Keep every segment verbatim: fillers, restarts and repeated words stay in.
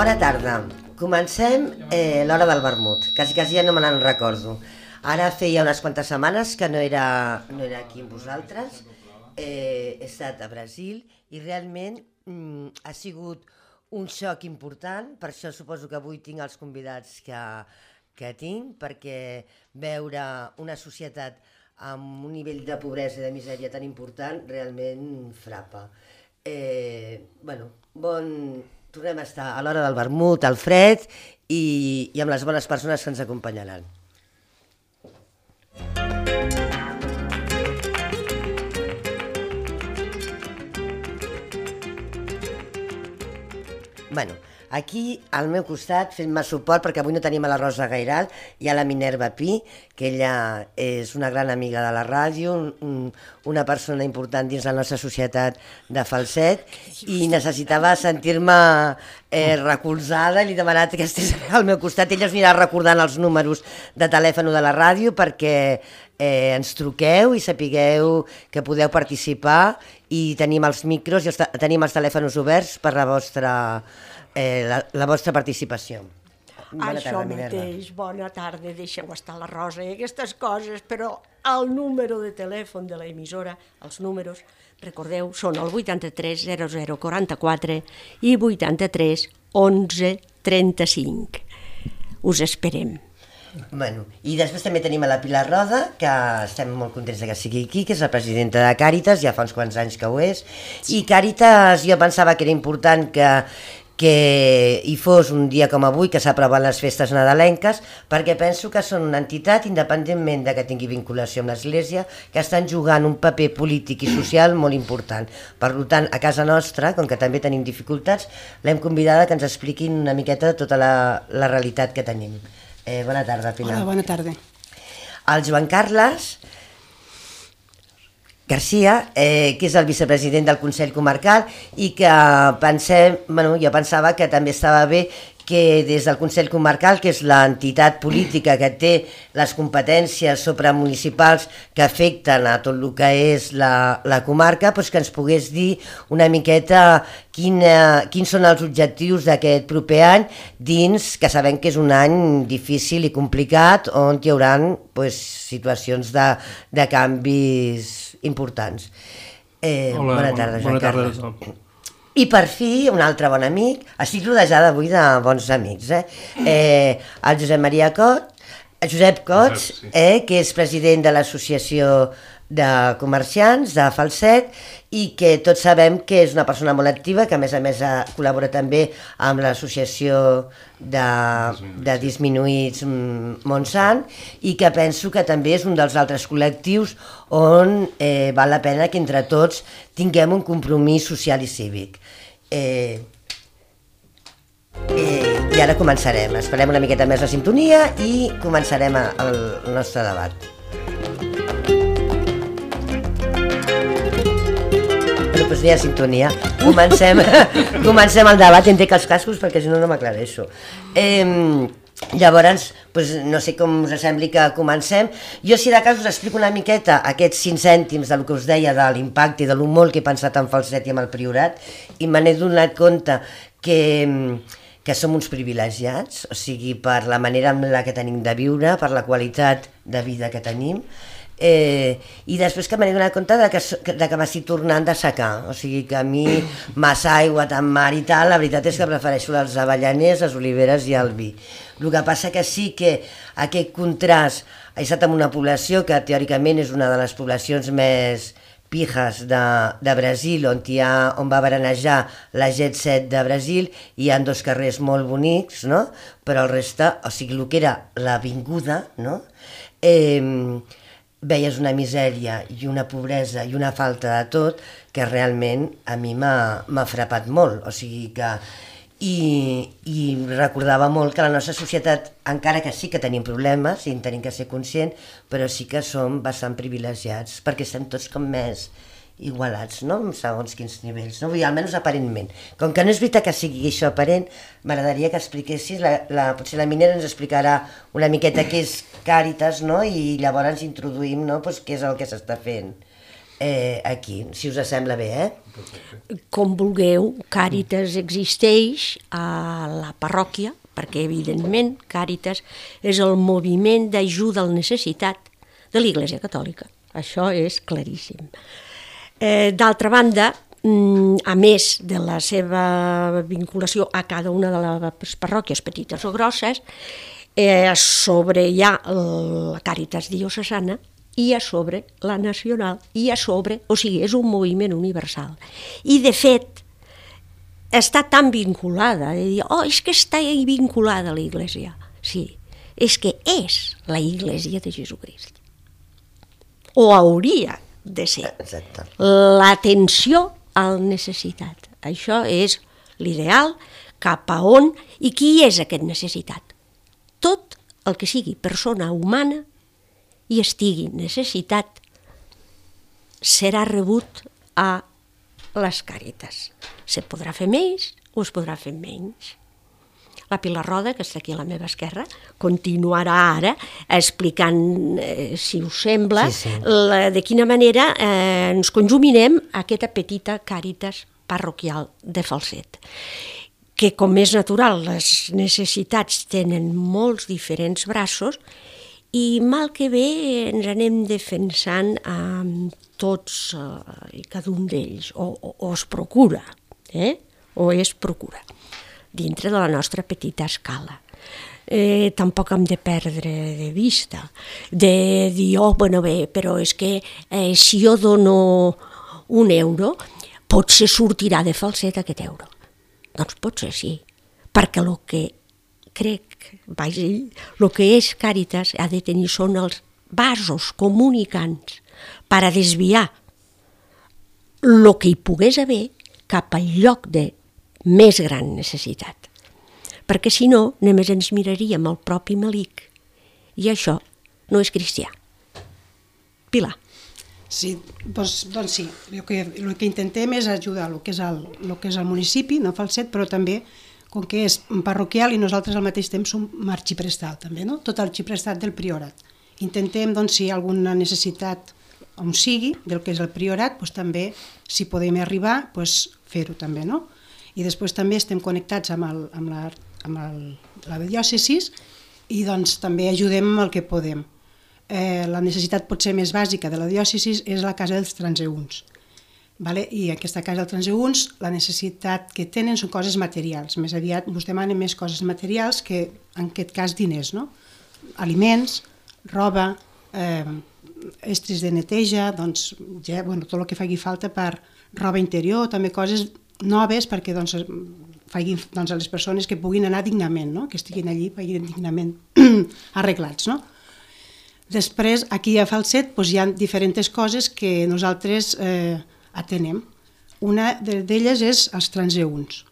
Bona tarda. Comencem eh, l'hora del vermut. Quasi, quasi ja no me n'en recordo. Ara feia unes quantes setmanes que no era, no era aquí amb vosaltres. Eh, he estat a Brasil i realment mm, ha sigut un xoc important. Per això suposo que avui tinc els convidats que, que tinc, perquè veure una societat amb un nivell de pobresa i de misèria tan important realment frapa. Eh, bueno, bon... Tornem a estar a l'hora del vermut, al fred i, i amb les bones persones que ens acompanyaran. Bueno, aquí al meu costat fent-me suport, perquè avui no tenim a la Rosa Gairal, hi ha la Minerva Pi, que ella és una gran amiga de la ràdio, un, una persona important dins la nostra societat de Falset, i necessitava sentir-me eh, recolzada, i li he demanat que estigués al meu costat. Ella us anirà recordant els números de telèfon de la ràdio perquè eh, ens truqueu i sapigueu que podeu participar, i tenim els micros i els, tenim els telèfons oberts per la vostra, eh, la, la vostra participació. Bona Això tarda, mateix, bona tarda, deixeu estar la Rosa i aquestes coses, però el número de telèfon de l'emissora, els números, recordeu, són el vuitanta-tres zero zero quaranta-quatre i vuitanta-tres onze trenta-cinc. Us esperem. Bueno, i després també tenim a la Pilar Roda, que estem molt contents que sigui aquí, que és la presidenta de Càritas, ja fa uns quants anys que ho és, i Càritas jo pensava que era important que, que hi fos un dia com avui, que s'aproven les festes nadalenques, perquè penso que són una entitat, independentment de que tingui vinculació amb l'Església, que estan jugant un paper polític i social molt important. Per tant, a casa nostra, com que també tenim dificultats, l'hem convidada que ens expliquin una miqueta tota la, la realitat que tenim. Eh, bona tarda, Pilar. Hola, bona tarda. El Joan Carles Garcia, eh, que és el vicepresident del Consell Comarcal i que pensem, bueno, jo pensava que també estava bé que des del Consell Comarcal, que és l'entitat política que té les competències supramunicipals que afecten a tot el que és la, la comarca, doncs que ens pogués dir una miqueta quina, quins són els objectius d'aquest proper any dins, que sabem que és un any difícil i complicat, on hi haurà doncs, situacions de, de canvis importants. Eh, Hola, bona tarda, Joan bona tarda, Carles. I per fi, un altre bon amic, estic rodejada avui de bons amics, eh? Eh, el Josep Maria Cot, Josep Cots, Josep, sí. eh, que és president de l'Associació de Comerciants de Falset i que tots sabem que és una persona molt activa, que a més a més col·labora també amb l'Associació de, de Disminuïts Montsant i que penso que també és un dels altres col·lectius on eh, val la pena que entre tots tinguem un compromís social i cívic. Eh, eh, I ara començarem, esperem una miqueta més la sintonia i començarem el nostre debat. Doncs no hi ha sintonia. Comencem, comencem el debat, entenc els cascos perquè si no no m'aclareixo. Eh, llavors, doncs, no sé com us sembli que comencem. Jo si de cas us explico una miqueta aquests cinc cèntims del que us deia de l'impacte i de lo molt que he pensat en Falset i amb el Priorat i me n'he donat compte que, que som uns privilegiats, o sigui, per la manera en la que tenim de viure, per la qualitat de vida que tenim. Eh, i després que m'he donat compte de que, de que m'estic tornant de secar, o sigui que a mi massa aigua, tant mar i tal, la veritat és que prefereixo els avellaners, les oliveres i el vi. El que passa que sí que aquest contrast, he estat en una població que teòricament és una de les poblacions més pijas de, de Brasil, on, hi ha, on va baranejar la Jet set de Brasil, hi ha dos carrers molt bonics, no? Però el reste, o sigui, el que era l'avinguda, no? Eh, veies una misèria i una pobresa i una falta de tot que realment a mi m'ha frapat molt, o sigui que i, i recordava molt que la nostra societat, encara que sí que tenim problemes i en tenim que ser conscient, però sí que som bastant privilegiats perquè estem tots com més igualats, no? Segons quins nivells, no? Vull dir, almenys aparentment. Com que no és veritat que sigui això aparent, m'agradaria que expliquessis, la, la, potser la Minera ens explicarà una miqueta què és Càritas, no? I llavors ens introduïm, no? Pues què és el que s'està fent. eh, aquí, si us sembla bé, eh? Com vulgueu, Càritas existeix a la parròquia, perquè evidentment Càritas és el moviment d'ajuda al necessitat de l'Església Catòlica. Això és claríssim. Eh, d'altra banda, a més de la seva vinculació a cada una de les parròquies petites o grosses, eh, a sobre hi ha la Càritas diocesana i a sobre la nacional, i a sobre, o sigui, és un moviment universal. I de fet, està tan vinculada, de dir, oh, és que està vinculada a l'Església. Sí, és que és la Església de Jesucrist. O hauria de ser. Exacte. L'atenció al necessitat. Això és l'ideal, cap a on, i qui és aquest necessitat? Tot el que sigui persona humana i estigui necessitat serà rebut a les Càritas. Se podrà fer més o es podrà fer menys. La Pilar Roda, que està aquí a la meva esquerra, continuarà ara explicant, eh, si us sembla, sí, sí. La, de quina manera eh, ens conjuminem aquesta petita Càritas parroquial de Falset. Que, com és natural, les necessitats tenen molts diferents braços i mal que bé ens anem defensant amb tots eh, i cada un d'ells, o, o, o es procura, eh? o es procura. Dintre de la nostra petita escala. Eh, tampoc hem de perdre de vista, de dir, oh, bueno, bé, però és que eh, si jo dono un euro, potser sortirà de Falset aquest euro. Doncs potser sí, perquè el que crec, vaja, el que és Càritas ha de tenir són els vasos comunicants per a desviar el que hi pogués haver cap al lloc de més gran necessitat. Perquè si no, només ens miraríem el propi melic. I això no és cristià. Pilar. Sí, doncs, doncs sí. El que, el que intentem és ajudar el que és el, el que és el municipi, no Falset, però també, com que és parroquial i nosaltres al mateix temps som arxiprestal, també, no? Tot l'arxiprestat del priorat. Intentem, doncs, si hi ha alguna necessitat on sigui, del que és el priorat, doncs també, si podem arribar, doncs fer-ho també, no? I després també estem connectats amb, el, amb, la, amb el, la diòcesis i doncs també ajudem amb el que podem. Eh, la necessitat potser més bàsica de la diòcesis és la casa dels transeünts. Vale? I aquesta casa dels transeünts, la necessitat que tenen són coses materials. Més aviat us demanen més coses materials que, en aquest cas, diners, no? Aliments, roba, eh, estris de neteja, doncs, ja, bueno, tot el que faci falta per roba interior, també coses noves perquè doncs, facin doncs, a les persones que puguin anar dignament, no? Que estiguin allí vagin dignament arreglats. No? Després, aquí a Falset doncs, hi ha diferents coses que nosaltres eh, atenem. Una d'elles és els transeünts.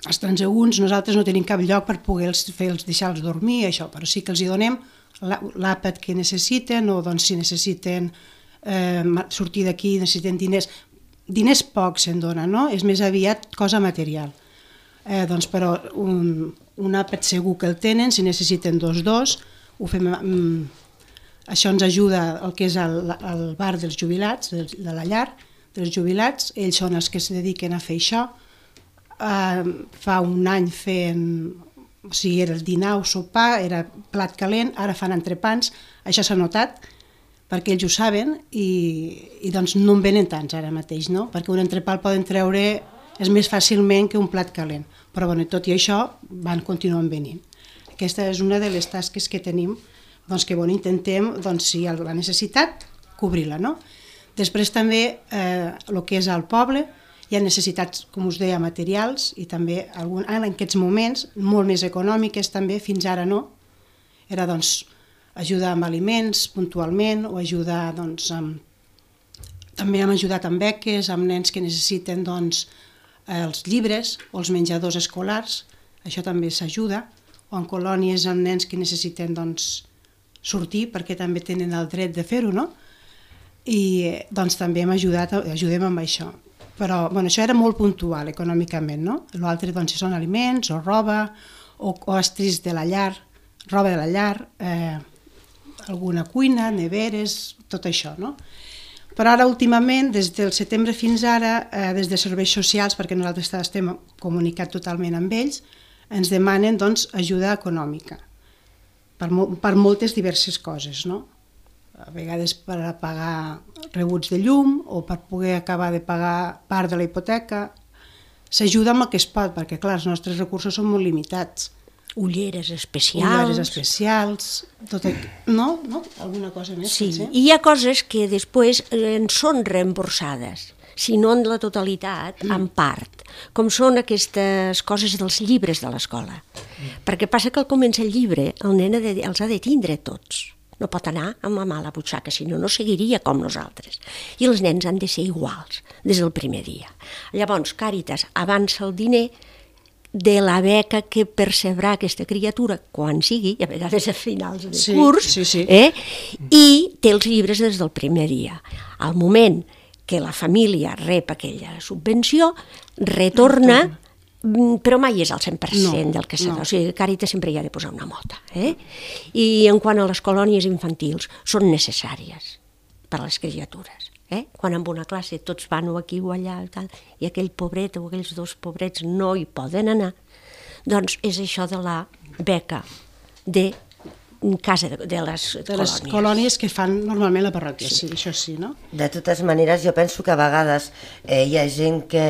Els transeünts nosaltres no tenim cap lloc per poder fer-los, deixar-los dormir, això, però sí que els hi donem l'àpat que necessiten o doncs, si necessiten eh, sortir d'aquí, necessiten diners. Diners pocs se'n dona, no? És més aviat cosa material. Eh, doncs, però un, un àpat segur que el tenen, si necessiten dos, dos, ho fem, mm, això ens ajuda el que és el, el bar dels jubilats, de, de la llar, dels jubilats, ells són els que es dediquen a fer això. Eh, fa un any feien, o sigui, era el dinar o sopar, era plat calent, ara fan entrepans, això s'ha notat, perquè ells ho saben i, i doncs no en venen tants ara mateix, no? Perquè un entrepà el poden treure és més fàcilment que un plat calent, però bueno, tot i això van continuant venint. Aquesta és una de les tasques que tenim, doncs que bueno, intentem, doncs, si hi ha la necessitat, cobrir-la, no? Després també eh, el que és al poble, hi ha necessitats, com us deia, materials i també algun, en aquests moments molt més econòmiques també, fins ara no, era doncs ajudar amb aliments puntualment o ajudar doncs, amb... també hem ajudat amb beques, amb nens que necessiten doncs, els llibres o els menjadors escolars, això també s'ajuda, o en colònies amb nens que necessiten doncs, sortir perquè també tenen el dret de fer-ho, no? I doncs, també hem ajudat, ajudem amb això. Però bueno, això era molt puntual econòmicament, no? L'altre doncs, són aliments o roba o, o estris de la llar, roba de la llar, eh, alguna cuina, neveres, tot això, no? Però ara, últimament, des del setembre fins ara, eh, des de serveis socials, perquè nosaltres estem comunicats totalment amb ells, ens demanen doncs, ajuda econòmica per, per moltes diverses coses, no? A vegades per a pagar rebuts de llum o per poder acabar de pagar part de la hipoteca. S'ajuda amb el que es pot, perquè clar, els nostres recursos són molt limitats. Ulleres especials. Ulleres especials, tot el... no? no? Alguna cosa més? Sí, potser? i hi ha coses que després en són reemborsades, si no en la totalitat, en part, com són aquestes coses dels llibres de l'escola. Perquè passa que al començar el llibre el nen ha de, els ha de tindre tots. No pot anar amb la mà a la butxaca, si no, no seguiria com nosaltres. I els nens han de ser iguals des del primer dia. Llavors, Càritas avança el diner de la beca que percebrà aquesta criatura quan sigui, i a vegades a finals de sí, curs, sí, sí. Eh? I té els llibres des del primer dia. Al moment que la família rep aquella subvenció, retorna, però mai és al cent per cent no, del que s'ha de... No. O sigui, Càritas sempre hi ha de posar una mota. Eh? I en quant a les colònies infantils, són necessàries per a les criatures. Eh? Quan en una classe tots van o aquí o allà tal, i aquell pobret o aquells dos pobrets no hi poden anar, doncs és això de la beca de casa de, de les de colònies. les colònies que fan normalment la parròquia, sí. sí, això sí, no? De totes maneres, jo penso que a vegades eh, hi ha gent que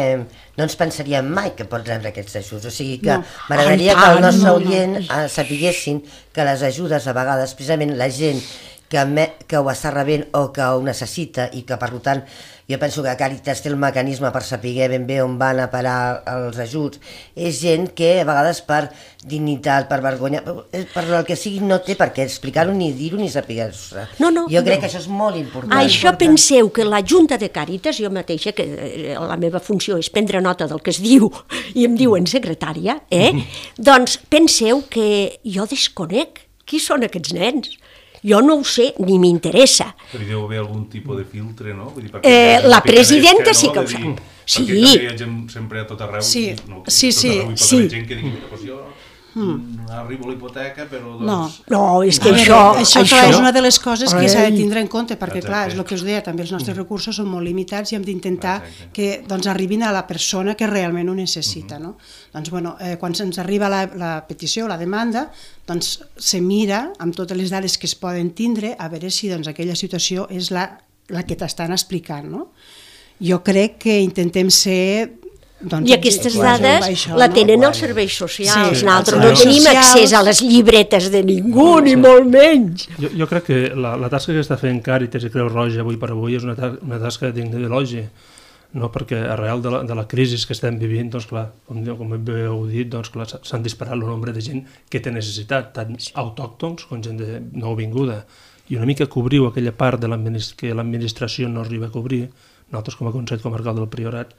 no ens pensaria mai que pot rebre aquests ajuts. O sigui que no. m'agradaria Ai, que el tant, nostre no, oient no. eh, sapiguessin que les ajudes a vegades, precisament la gent que, me, que ho està rebent o que ho necessita i que per tant jo penso que Càritas té el mecanisme per saber ben bé on van a parar els ajuts, és gent que a vegades per dignitat, per vergonya, per el que sigui no té per què explicar-ho ni dir-ho ni saber-ho. No, no, jo crec no. que això és molt important. Això important. Penseu que la Junta de Càritas, jo mateixa, que la meva funció és prendre nota del que es diu i em diuen secretària, eh? doncs penseu que jo desconec qui són aquests nens. Jo no ho sé, ni m'interessa. Però hi deu haver algun tipus de filtre, no? Vull dir, eh, la presidenta que, no? sí que ho sap. Dir, sí. Perquè hi ha gent sempre a tot arreu. Sí, no, sí, tot sí. Arreu hi pot sí. haver gent que digui, mira, doncs jo mm. arribo a la hipoteca, però doncs... No, no és que no, això... Això, això és una de les coses que s'ha de tindre en compte, perquè Exacte. clar, és el que us deia, també els nostres recursos són molt limitats i hem d'intentar que doncs, arribin a la persona que realment ho necessita. No? Doncs, bueno, eh, quan se'ns arriba la, la petició, la demanda, doncs se mira amb totes les dades que es poden tindre a veure si doncs, aquella situació és la, la que t'estan explicant. No? Jo crec que intentem ser... Doncs, I aquestes dades això, la tenen no? els serveis socials. Sí, Nosaltres no tenim socials. accés a les llibretes de ningú, no, ni sí. molt menys. Jo, jo crec que la, la tasca que està fent Càritas i Creu Roja avui per avui és una, ta una tasca digna d'elogi, no? Perquè arrel de la, de la crisi que estem vivint, doncs clar, com, com heu dit, doncs clar, s'han disparat el nombre de gent que té necessitat, tant autòctons com gent de nouvinguda. I una mica cobriu aquella part de que l'administració no arriba a cobrir, nosaltres com a Consell Comarcal del Priorat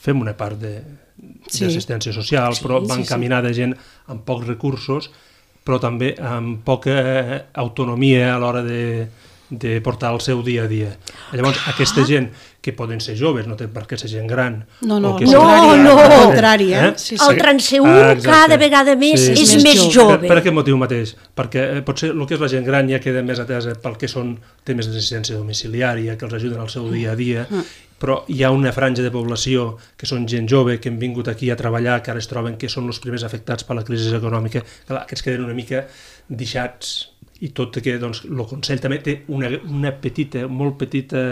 fem una part d'assistència sí. social, sí, però va encaminada sí, sí. gent amb pocs recursos, però també amb poca autonomia a l'hora de, de portar el seu dia a dia. Llavors, ah. aquesta gent, que poden ser joves, no té per què ser gent gran... No, no, que no, no. Al contrari, eh? Sí, sí. El transeúnt ah, cada vegada més sí. és, és més jove. Per, per aquest motiu mateix, perquè potser el que és la gent gran ja queda més atesa pel que són temes d'assistència domiciliària, que els ajuden al seu dia a dia, mm. però hi ha una franja de població que són gent jove, que han vingut aquí a treballar, que ara es troben que són els primers afectats per la crisi econòmica, clar, que es queden una mica deixats, i tot que doncs, el Consell també té una, una petita, molt petita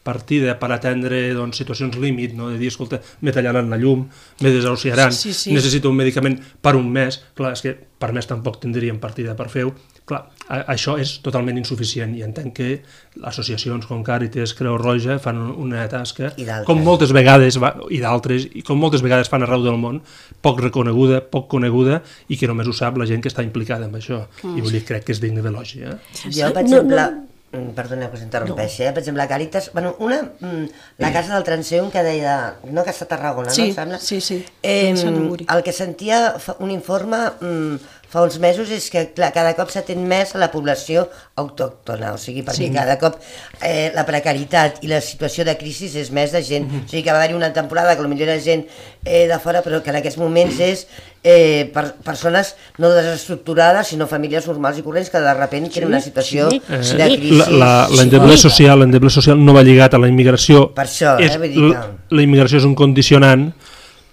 partida per atendre doncs, situacions límit, no? De dir, escolta, me tallaran la llum, me desahuciaran, sí, sí. necessito un medicament per un mes, clar, és que per mes tampoc tindríem partida per fer-ho, clar, això és totalment insuficient i entenc que associacions com Càritas, Creu Roja fan una tasca, com moltes vegades, i d'altres, i com moltes vegades fan arreu del món, poc reconeguda, poc coneguda, i que només ho sap la gent que està implicada en això. Mm. I vull dir, crec que és digne d'elogi. Eh? Jo, per exemple, perdona que us interrompeixi, eh? Per exemple, la Càritas, bueno, una, la casa del transeúnt que deia, no, que està a Tarragona, sí, no? Sembla? Sí, sí, eh, el que sentia un informe fa uns mesos és que clar, cada cop s'atén més a la població autòctona, o sigui, perquè sí. cada cop eh, la precarietat i la situació de crisi és més de gent, mm-hmm. o sigui que va haver-hi una temporada que potser era gent eh, de fora, però que en aquests moments és eh, per, persones no desestructurades, sinó famílies normals i corrents que de sobte sí, tenen una situació sí, de sí. crisi. L'endeble sí. social, l'endeble social no va lligat a la immigració. Per això, és, eh, vull dir que... La immigració és un condicionant,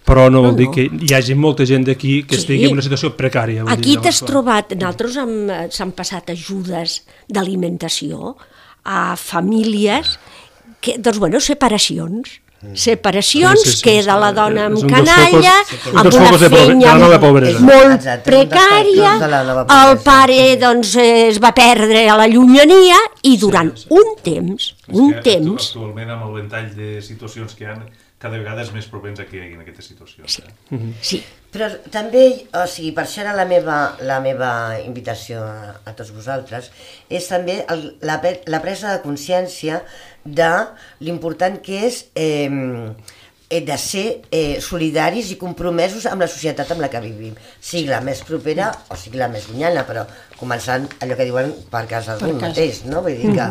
però no vol no, dir que hi hagi molta gent d'aquí que sí. estigui en una situació precària. Aquí t'has trobat, nosaltres s'han passat ajudes d'alimentació a famílies, que, doncs bueno, separacions, separacions, sí, sí, sí, queda la dona amb canalla, amb una feina molt precària, el pare doncs es va perdre a la llunyania i durant un temps, un temps... Actualment amb el ventall de situacions que hi ha, cada vegada és més propens a que hi hagi aquestes situacions. Sí. Eh? Sí. Però també, o sigui, per això era la meva, la meva invitació a, a tots vosaltres, és també el, la, la presa de consciència de l'important que és eh, de ser eh, solidaris i compromesos amb la societat amb la que vivim, sigui la més propera o sigui la més llunyana, però començant allò que diuen per casa d'un mateix, no? Vull dir que,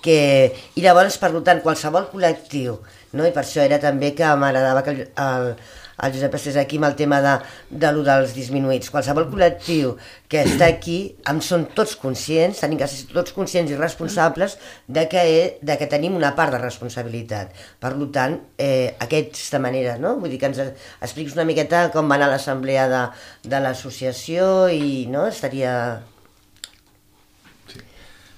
que... I llavors, per tant, qualsevol col·lectiu, no? I per això era també que m'agradava que el, el, el Josep estés aquí amb el tema de, de lo dels disminuïts. Qualsevol col·lectiu que està aquí, en són tots conscients, tenim que ser tots conscients i responsables de que, de que tenim una part de responsabilitat. Per tant, eh, aquesta manera, no? Vull dir que ens expliquis una miqueta com va anar l'assemblea de, de l'associació i no? Estaria...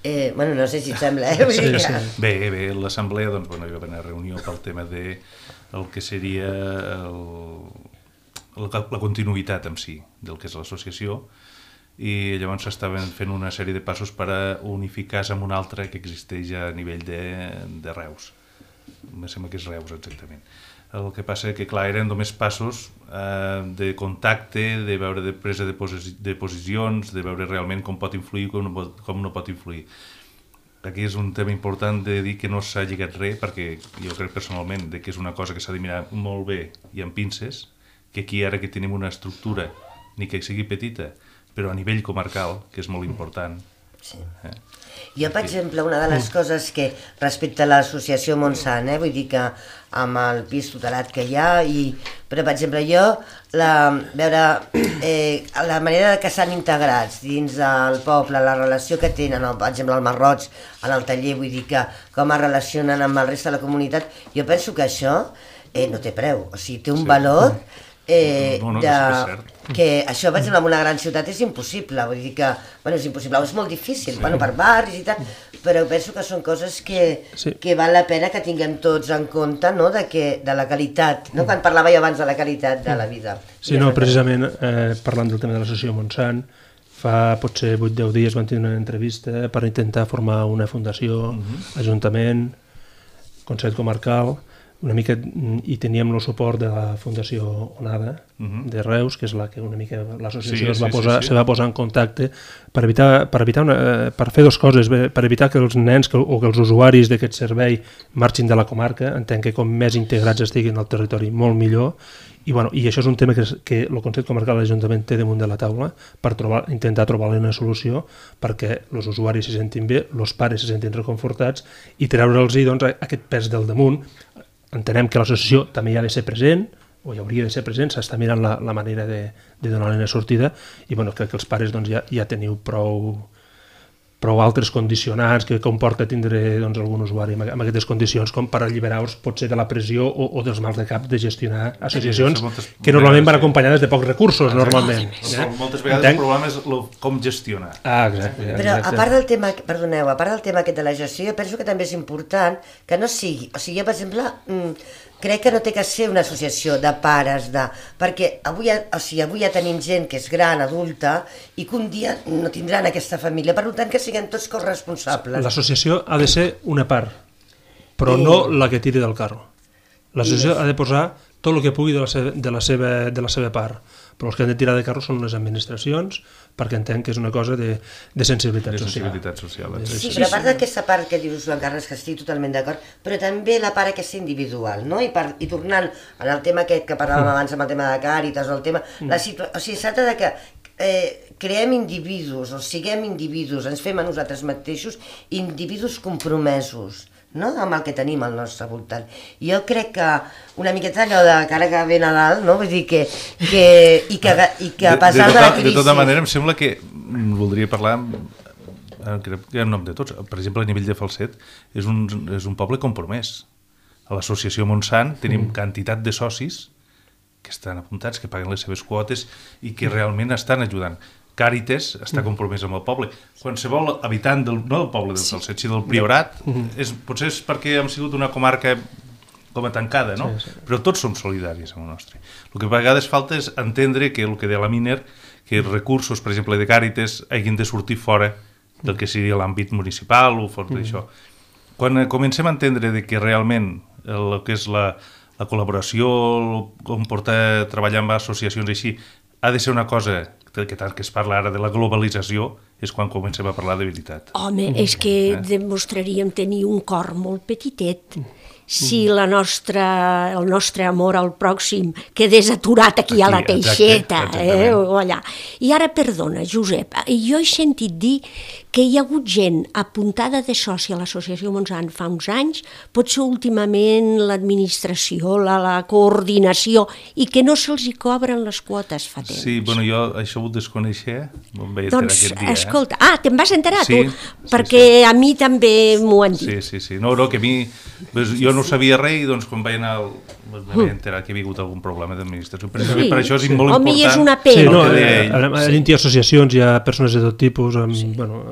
Eh, bueno, no sé si et sembla, eh? Vull dir que... sí, sí. Bé, bé, l'assemblea, doncs, bueno, hi va haver una reunió pel tema de el que seria el, el, la continuïtat en si del que és l'associació i llavors s'estaven fent una sèrie de passos per a unificar amb un altre que existeix a nivell de, de Reus. Em sembla que és Reus, exactament. El que passa és que, clar, eren només passos eh, de contacte, de veure de presa de, posi de posicions, de veure realment com pot influir i com no pot, com no pot influir. Aquí és un tema important de dir que no s'ha lligat res, perquè jo crec personalment de que és una cosa que s'ha de mirar molt bé i amb pinces, que aquí ara que tenim una estructura, ni que sigui petita, però a nivell comarcal, que és molt important. Sí. Eh? Jo, per exemple, una de les coses que respecte a l'associació Montsant, eh, vull dir que amb el pis tutelat que hi ha, i, però per exemple jo, la, veure eh, la manera que s'han integrats dins del poble, la relació que tenen, per exemple el Marroig, en el taller, vull dir que com es relacionen amb el reste de la comunitat, jo penso que això eh, no té preu, o sigui, té un sí. valor eh, no, no, no, de, que, que això, per exemple, en una gran ciutat és impossible, vull dir que, bueno, és impossible, és molt difícil, sí. bueno, per barris i tal, però penso que són coses que, sí. que val la pena que tinguem tots en compte, no?, de, que, de la qualitat, no?, quan parlava jo abans de la qualitat de la vida. Sí, no, precisament, eh, parlant del tema de l'associació Montsant, fa potser vuit o deu dies van tenir una entrevista per intentar formar una fundació, uh-huh. ajuntament, Consell Comarcal, una mica, i teníem el suport de la Fundació Onada uh-huh. de Reus, que és la que una mica l'associació sí, es va sí, posar, sí, sí. se va posar en contacte per evitar, per evitar una, per fer dues coses, per evitar que els nens que, o que els usuaris d'aquest servei marxin de la comarca, entenc que com més integrats estiguin al territori, molt millor, i, bueno, i això és un tema que, que el Consell Comarcal de l'Ajuntament té damunt de la taula per trobar, intentar trobar-li una solució perquè els usuaris se sentin bé, els pares se sentin reconfortats i treure'ls doncs, aquest pes del damunt. Entenem que l'associació també hi ha de ser present, o hi hauria de ser present, s'està mirant la, la manera de, de donar-li una sortida, i bueno, crec que els pares doncs, ja, ja teniu prou, prou altres condicionants que comporta tindre doncs, algun usuari amb, amb aquestes condicions com per alliberar-vos potser de la pressió o, o dels mals de cap de gestionar associacions sí, moltes, que normalment van acompanyades de pocs recursos, ah, normalment. Eh? Moltes vegades Entenc? El problema és lo, com gestionar. Ah, exacte, exacte. Però a part del tema, perdoneu, a part del tema aquest de la gestió, jo penso que també és important que no sigui, o sigui, jo, per exemple, crec que no té que ser una associació de pares, de... perquè avui, o sigui, avui ja tenim gent que és gran, adulta, i que un dia no tindran aquesta família, per tant que siguem tots corresponsables. L'associació ha de ser una part, però I... no la que tiri del carro. L'associació I... ha de posar tot el que pugui de la, seva, de, la seva, de la seva part, però els que han de tirar de carro són les administracions, perquè entenc que és una cosa de, de sensibilitat de social. Sensibilitat social sí, sí, però a part d'aquesta part que dius, Joan Carles, que estic totalment d'acord, però també la part aquesta individual, no? I, per, i tornant al tema aquest que parlàvem mm. abans amb el tema de Càritas, o el tema... Mm. La situa... O sigui, es tracta de que eh, creem individus, o siguem individus, ens fem a nosaltres mateixos individus compromesos, no? Amb el que tenim al nostre voltant. Jo crec que una miqueta allò de cara que ve Nadal, no? Vull dir que, que, i, que, i que a pesar de, de, tota, de la crisi... De tota manera, em sembla que voldria parlar, crec que en nom de tots, per exemple, a nivell de Falset, és un, és un poble compromès. A l'associació Montsant tenim mm. quantitat de socis que estan apuntats, que paguen les seves quotes i que realment estan ajudant. Càritas està compromès amb el poble. Qualsevol habitant, del, no del poble del Falset, sinó del Priorat, és, potser és perquè hem sigut una comarca com a tancada, no? Sí, sí. Però tots som solidaris amb el nostre. El que a vegades falta és entendre que el que deia la Miner, que els recursos, per exemple, de Càritas hagin de sortir fora del que seria l'àmbit municipal o fora d'això. Quan comencem a entendre de que realment el que és la, la col·laboració, com portar treballar amb associacions així, ha de ser una cosa que tant que es parla ara de la globalització, és quan comencem a parlar de veritat. Home, és que eh? demostraríem tenir un cor molt petitet si la nostra, el nostre amor al pròxim quedés aturat aquí, aquí a la Teixeta, eh, o allà. I ara, perdona, Josep, jo he sentit dir que hi ha hagut gent apuntada de soci a l'Associació Montsant fa uns anys, potser últimament l'administració, la, la coordinació, i que no se'ls hi cobren les quotes fa temps. Sí, bueno, jo això ho desconeixia, me'n vaig enterar doncs, aquest dia. Escolta, ah, te'n vas enterar sí, tu? Sí, perquè sí. a mi també m'ho han dit. Sí, sí, sí. No, no, que a mi... Jo no sabia res i doncs quan vaig anar... Al... m'he enterat que hi havia hagut algun problema d'administració. Per, sí. per això és sí. molt Home, important... és una pena. Sí, no, a dins hi ha associacions, hi ha persones de tot tipus, amb, sí. bueno,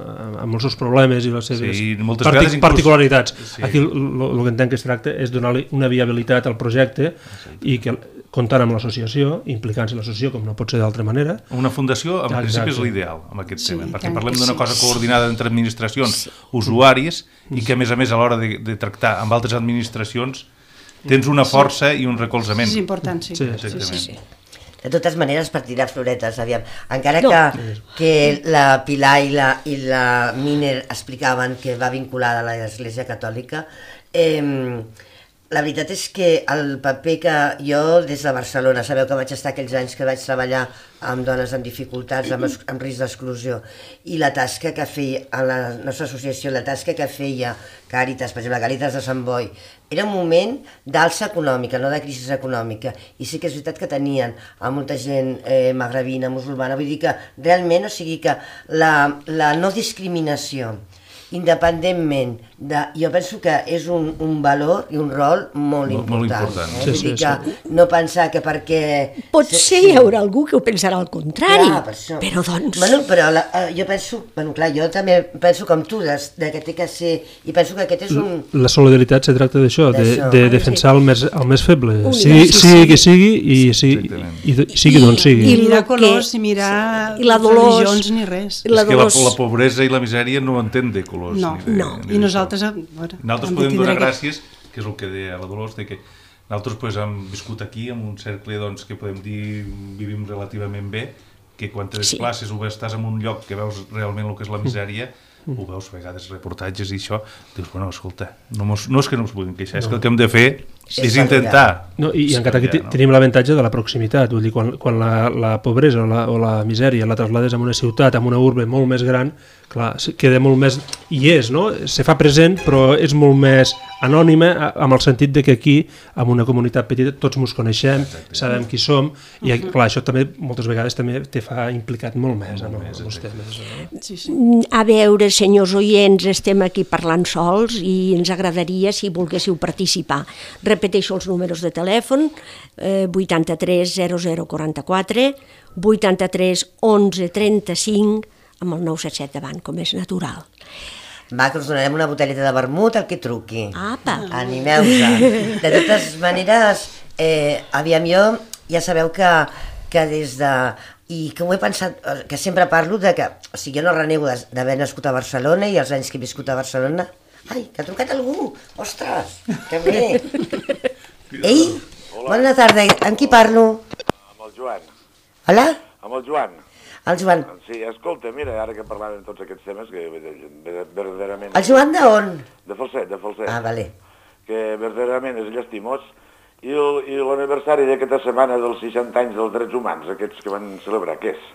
amb els seus problemes i les seves sí, partic inclús... particularitats. Sí. Aquí el que entenc que es tracta és donar-li una viabilitat al projecte sí. i que comptant amb l'associació, implicant-se l'associació com no pot ser d'altra manera. Una fundació, en principi, és l'ideal amb aquest sí, tema, perquè parlem d'una cosa coordinada entre administracions, sí. usuaris, i que, a més a més, a l'hora de, de tractar amb altres administracions, tens una força sí. i un recolzament. És important, sí. sí, exactament. Sí, sí, sí. De totes maneres, per tirar floretes, aviam. Encara no. que, que la Pilar i la, i la Miner explicaven que va vinculada a l'Església Catòlica, eh, la veritat és que el paper que jo, des de Barcelona, sabeu que vaig estar aquells anys que vaig treballar amb dones amb dificultats, amb, amb risc d'exclusió, i la tasca que feia a la nostra associació, la tasca que feia Càritas, per exemple, Càritas de Sant Boi, era un moment d'alça econòmica, no de crisi econòmica, i sí que és veritat que tenien a molta gent eh, magrebina, musulmana, vull dir que realment, o sigui que la, la no discriminació, independentment de... Jo penso que és un, un valor i un rol molt, molt important. Molt important. Eh? Sí, Vull sí, dir que sí. no pensar que perquè... Potser sí. hi haurà algú que ho pensarà al contrari, clar, per això. Però doncs... Bueno, però la, jo penso... Bueno, clar, jo també penso com tu, de, de que té que ser... I penso que aquest és un... La solidaritat se tracta d'això, de, de defensar el més, el més feble. Sigui, sí, sigui sí. que sigui i, sigui, i, i sigui d'on sigui. I mirar colors i mirar i la Dolors, religions ni res. És que la, la pobresa i la misèria no entén de colors. No, ni de, no. Ni I nosaltres... Bueno, nosaltres podem donar gràcies, que és el que deia la Dolors, de que nosaltres pues, hem viscut aquí en un cercle doncs, que podem dir vivim relativament bé, que quan tens sí. classes o estàs en un lloc que veus realment el que és la misèria, ho veus a vegades reportatges i això, dius, bueno, escolta, no, mos, no és que no ens puguin queixar, no. és que el que hem de fer és, és intentar. No, I, i encara aquí no? tenim l'avantatge de la proximitat, vull dir, quan, quan la, la pobresa o la, o la misèria la traslades a una ciutat, a una urbe molt més gran, clar, queda molt més... I és, no? Se fa present, però és molt més anònima, amb el sentit de que aquí, en una comunitat petita, tots ens coneixem, exacte. Sabem qui som, i clar, això també, moltes vegades, també te fa implicat molt més en els temes. No? Sí, sí. A veure, senyors oients, estem aquí parlant sols i ens agradaria si volguéssiu participar. Repeteixo els números de telèfon, eh, vuitanta-tres zero zero quaranta-quatre, vuitanta-tres onze trenta-cinc, amb el nou set set davant, com és natural. Va, que us donarem una botelleta de vermut al que truqui. Apa! Animeu-vos. De totes maneres, eh, aviam jo, ja sabeu que, que des de... I que ho he pensat, que sempre parlo de que... O sigui, jo no renego d'haver nascut a Barcelona i els anys que he viscut a Barcelona. Ai, que ha trucat algú! Ostres, que bé! Ei, hola. Bona tarda, amb qui parlo? Amb el Joan. Hola? Amb el Joan. El Joan. Sí, escolta, mira, ara que parlàvem de tots aquests temes, que verdaderament... El Joan d'on? De Falset, de Falset. Ah, vale. Que verdaderament és llastimós. I l'aniversari d'aquesta setmana dels seixanta anys dels drets humans, aquests que van celebrar, què és?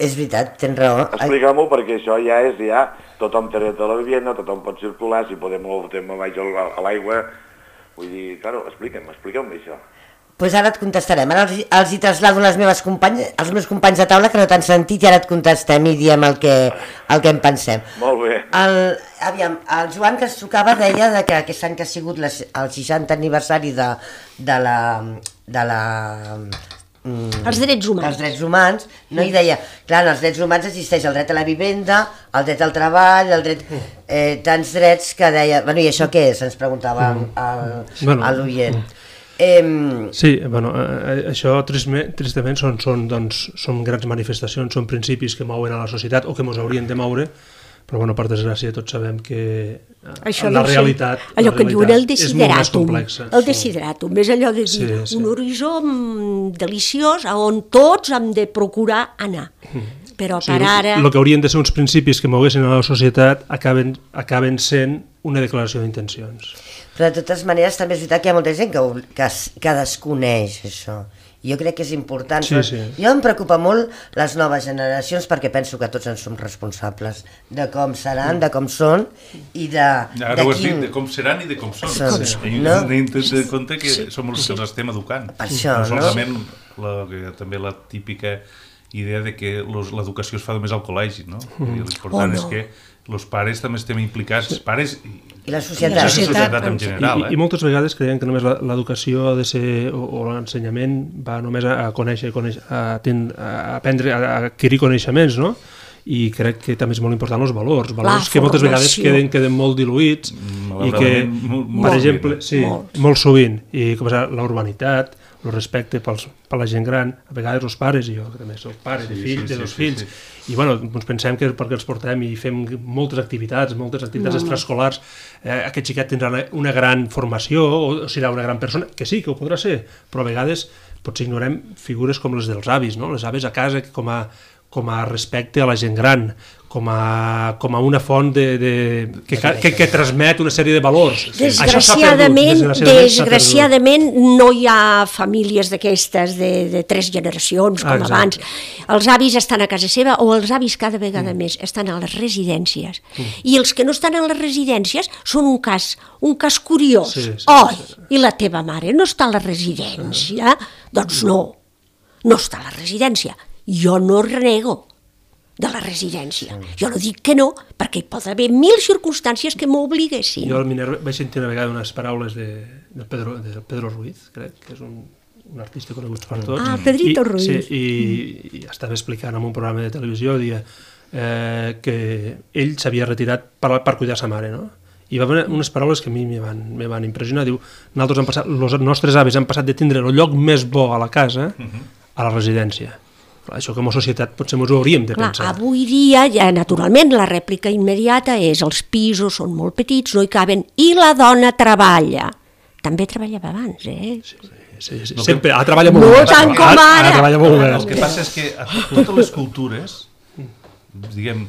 És veritat, tens raó. Explica-m'ho, perquè això ja és, ja, tothom té dret a la vivienda, tothom pot circular, si podem ho fotem baix a l'aigua, vull dir, claro, explica'm, explica'm això. Doncs pues ara et contestarem, ara els, els hi traslado les meves companyes, els meus companys de taula que no t'han sentit i ara et contestem i diem el que, el que en pensem. Molt bé. El, aviam, el Joan que es trucava deia de que aquest any que ha sigut les, el seixantè aniversari de, de la... De la Mm, els drets humans. Els drets humans, no? I deia, clar, en els drets humans existeix el dret a la vivenda, el dret al treball, el dret... Eh, tants drets que deia... Bueno, i això què és? Ens preguntava el, bueno, a l'oient. Eh, sí, bueno, eh, això tristament, tristament són, són, doncs, són grans manifestacions, són principis que mouen a la societat o que ens haurien de moure, però bueno, per desgràcia tots sabem que això la realitat, allò la que diuen el realitat és molt més complexa. El desideratum, és allò de dir sí, sí. un horitzó deliciós a on tots hem de procurar anar. Però o sigui, per ara... El que haurien de ser uns principis que moguessin a la societat acaben, acaben sent una declaració d'intencions. Però de totes maneres també és veritat que hi ha molta gent que, que, que desconeix això. Jo crec que és important. Sí, sí. Jo em preocupa molt les noves generacions perquè penso que tots en som responsables de com seran, de com són i de... Ara de ho has quin... dit, de com seran i de com són. Són, sí. no? Hem de tenir en compte que som els que els estem educant. Per això, no? no? Solament la, també la típica idea de que l'educació es fa només al col·legi, no? Mm. L'important oh, no. és que els pares també estem implicats, els pares i, I la societat, la societat en general. I, eh? I moltes vegades creiem que només l'educació ha de ser, o, o l'ensenyament va només a, a conèixer, conèixer a, ten, a aprendre, a adquirir coneixements, no? I crec que també és molt important els valors, valors la que moltes vegades formació. queden, queden molt diluïts i que, molt, per molt exemple, sovint. sí, molt. molt sovint, i com és la urbanitat, el respecte pels, per la gent gran, a vegades els pares, i jo que també soc pare de Sí, fills, sí, de dos sí, fills, sí, i bueno, ens pensem que perquè els portem i fem moltes activitats, moltes activitats No, no. extraescolars, eh, aquest xiquet tindrà una, una gran formació, o serà una gran persona, que sí, que ho podrà ser, però a vegades potser ignorem figures com les dels avis, no? Les avis a casa com a, com a respecte a la gent gran, com a, com a una font de, de, que, que, que transmet una sèrie de valors. Desgraciadament, perdut, desgraciadament no hi ha famílies d'aquestes de, de tres generacions com Exacte. abans. Els avis estan a casa seva o els avis cada vegada mm. més estan a les residències. Mm. I els que no estan a les residències són un cas, un cas curiós. Sí, sí, Oi, sí. i la teva mare no està a la residència? Doncs no, no està a la residència. Jo no renego de la residència. Jo no dic que no, perquè hi pot haver mil circumstàncies que m'obliguessin. Jo al Minerva vaig sentir una vegada unes paraules de, de, Pedro, de Pedro Ruiz, crec, que és un, un artista conegut per tots. Ah, Pedrito I, Ruiz. Sí, i, mm. i estava explicant en un programa de televisió, dia, eh, que ell s'havia retirat per, per cuidar sa mare, no? I va haver unes paraules que a mi me van, me van impressionar. Diu, nosaltres hem passat, els nostres avis han passat de tindre el lloc més bo a la casa a la residència. Això com a societat potser ens ho hauríem de Clar, pensar. avui dia, ja, naturalment, la rèplica immediata és els pisos són molt petits, no hi caben, i la dona treballa. També treballava abans, eh? Sí, sí, sí. Sempre, ha treballat molt No bé. tant com ara. Ha treballat molt bé. El que passa és que a totes les cultures, diguem,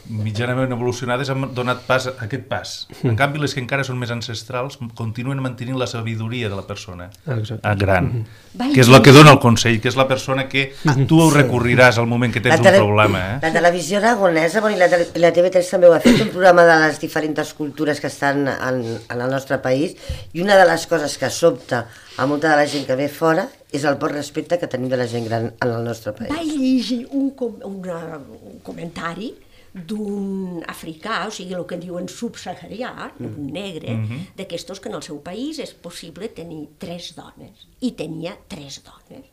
mitjanament evolucionades han donat pas a aquest pas. En canvi, les que encara són més ancestrals continuen mantenint la sabidoria de la persona Exacte. gran, que és el que dona el consell, que és la persona que tu recorriràs al moment que tens un problema. Eh? La televisió aragonesa, bueno, i la, tele, la T V tres també ho ha fet, un programa de les diferents cultures que estan en, en el nostre país, i una de les coses que sobta a molta de la gent que ve fora és el poc respecte que tenim de la gent gran en el nostre país. Vaig llegir un, com, una, un comentari d'un africà, o sigui, el que diuen subsaharià, mm. un negre, mm-hmm. d'aquestos que en el seu país és possible tenir tres dones. I tenia tres dones.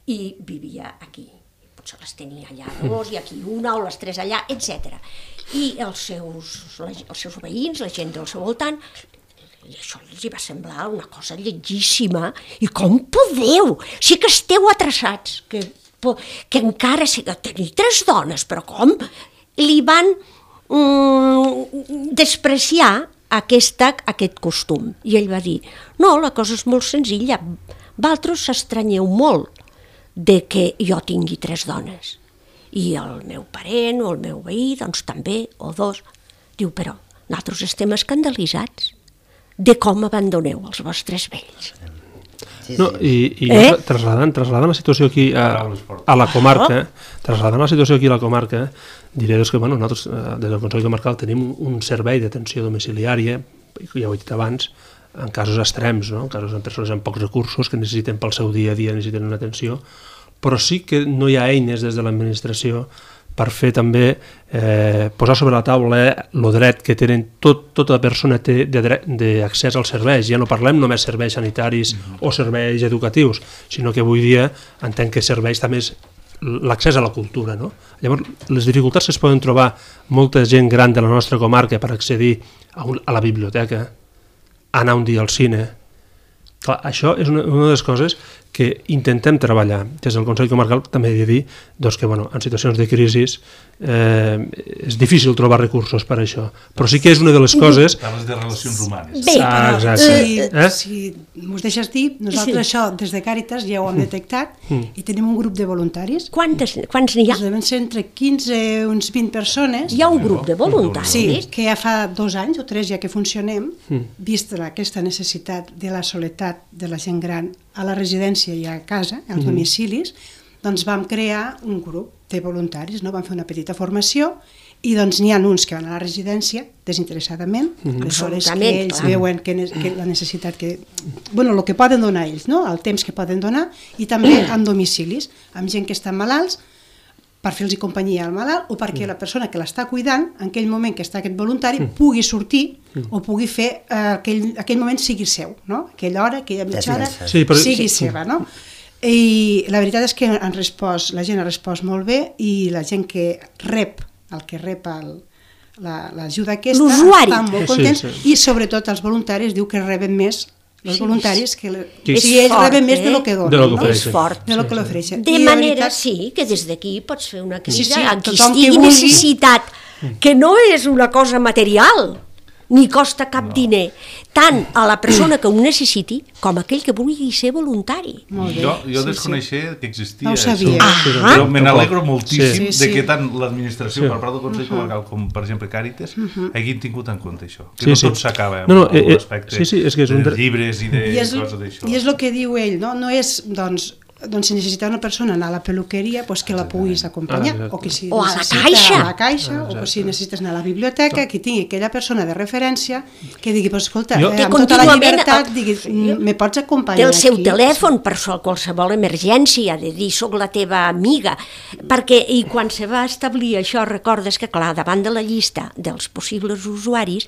I vivia aquí. Potser les tenia allà dos, i aquí una, o les tres allà, etcètera. I els seus, els seus veïns, la gent del seu voltant, i això els hi va semblar una cosa lletgíssima. I com podeu? Sí que esteu atrasats, que, que encara tenir tres dones, però com? Li van mm, despreciar aquesta, aquest costum. I ell va dir, no, la cosa és molt senzilla, vosaltres s'estranyeu molt de que jo tingui tres dones. I el meu parent o el meu veí, doncs també, o dos. Diu, però nosaltres estem escandalitzats de com abandoneu els vostres vells. Sí, sí, No, sí. i, i Eh? trasladant, trasladant la situació aquí a, a la comarca, trasladant la situació aquí a la comarca, diré doncs, que bueno, nosaltres eh, des del Consell Comarcal tenim un, un servei d'atenció domiciliària, ja ho he dit abans, en casos extrems, no? En casos de persones amb pocs recursos que necessiten pel seu dia a dia, necessiten una atenció, però sí que no hi ha eines des de l'administració per fer també, eh, posar sobre la taula el dret que tenen, tot, tota persona té d'accés als serveis. Ja no parlem només serveis sanitaris mm-hmm. o serveis educatius, sinó que avui dia entenc que serveis també és l'accés a la cultura. No? Llavors, les dificultats que es poden trobar molta gent gran de la nostra comarca per accedir a, un, a la biblioteca, anar un dia al cine. Clar, això és una, una de les coses que intentem treballar. Des del Consell Comarcal també he de dir doncs, que bueno, en situacions de crisi eh, és difícil trobar recursos per això, però sí que és una de les coses... Parles de relacions humanes. Bé, Ah, però, exacte. Si, Eh? si m'ho deixes dir, nosaltres Sí. això des de Càritas ja ho hem detectat i tenim un grup de voluntaris. Quantes, quants n'hi ha? Doncs deuen ser entre quinze i uns vint persones. Hi ha un grup de voluntaris? Sí, que ja fa dos anys o tres ja que funcionem, vista aquesta necessitat de la soledat de la gent gran a la residència i a casa, als domicilis, doncs vam crear un grup de voluntaris, no? Vam fer una petita formació i doncs n'hi ha uns que van a la residència desinteressadament, aleshores que Absolutament, ells clar. veuen que, ne- que la necessitat que... Bueno, el que poden donar ells, no? El temps que poden donar, i també en domicilis, amb gent que estan malalts, per fer-los companyia al malalt o perquè la persona que l'està cuidant, en aquell moment que està aquest voluntari, pugui sortir o pugui fer eh, aquell, aquell moment sigui seu, no? Aquella hora, aquella mitja hora, Descansar. Sí, però- sigui sí. seva, no? I la veritat és que han respost, la gent ha respost molt bé i la gent que rep, el que rep el, la- l'ajuda aquesta, L'usuari. estan molt Sí, contents sí. i sobretot els voluntaris diu que reben més els Sí, voluntaris que, le... Sí. o sigui, ells És fort, reben més de eh? lo que donen, De lo que no? ofereixen. És fort. de lo que l'ofereixen. De I la manera, veritat- sí, que des d'aquí pots fer una crida Sí, sí, a qui tothom que estigui vulgui. necessitat, que no és una cosa material, ni costa cap no. diner, tant a la persona que ho necessiti com a aquell que vulgui ser voluntari. Molt bé. Jo, jo Sí, desconeixia que existia No ho això. sabia. Ah. Però me n'alegro moltíssim Sí, sí. de que tant l'administració Sí. per part del Consell Comarcal com, per exemple, Càritas, hagin tingut en compte això. Que Sí, no sí. tot s'acaba No, no, amb eh, eh, l'aspecte sí, sí, és que és un de dre- llibres i de I és, coses d'això. I és el que diu ell, no? No és, doncs, doncs si necessita una persona anar a la peluqueria, pues que la puguis acompanyar, Ah, exacte. o que si O a la necessita caixa. a la caixa, o si necessites anar a la biblioteca, que tingui aquella persona de referència que digui, pues, escolta, Jo- eh, Que amb tota la contínuament, llibertat, eh, digui, sí. "Mm, me pots Té acompanyar el seu aquí?" telèfon per sol- qualsevol emergència, de dir soc la teva amiga, perquè i quan se va establir això recordes que clar, davant de la llista dels possibles usuaris,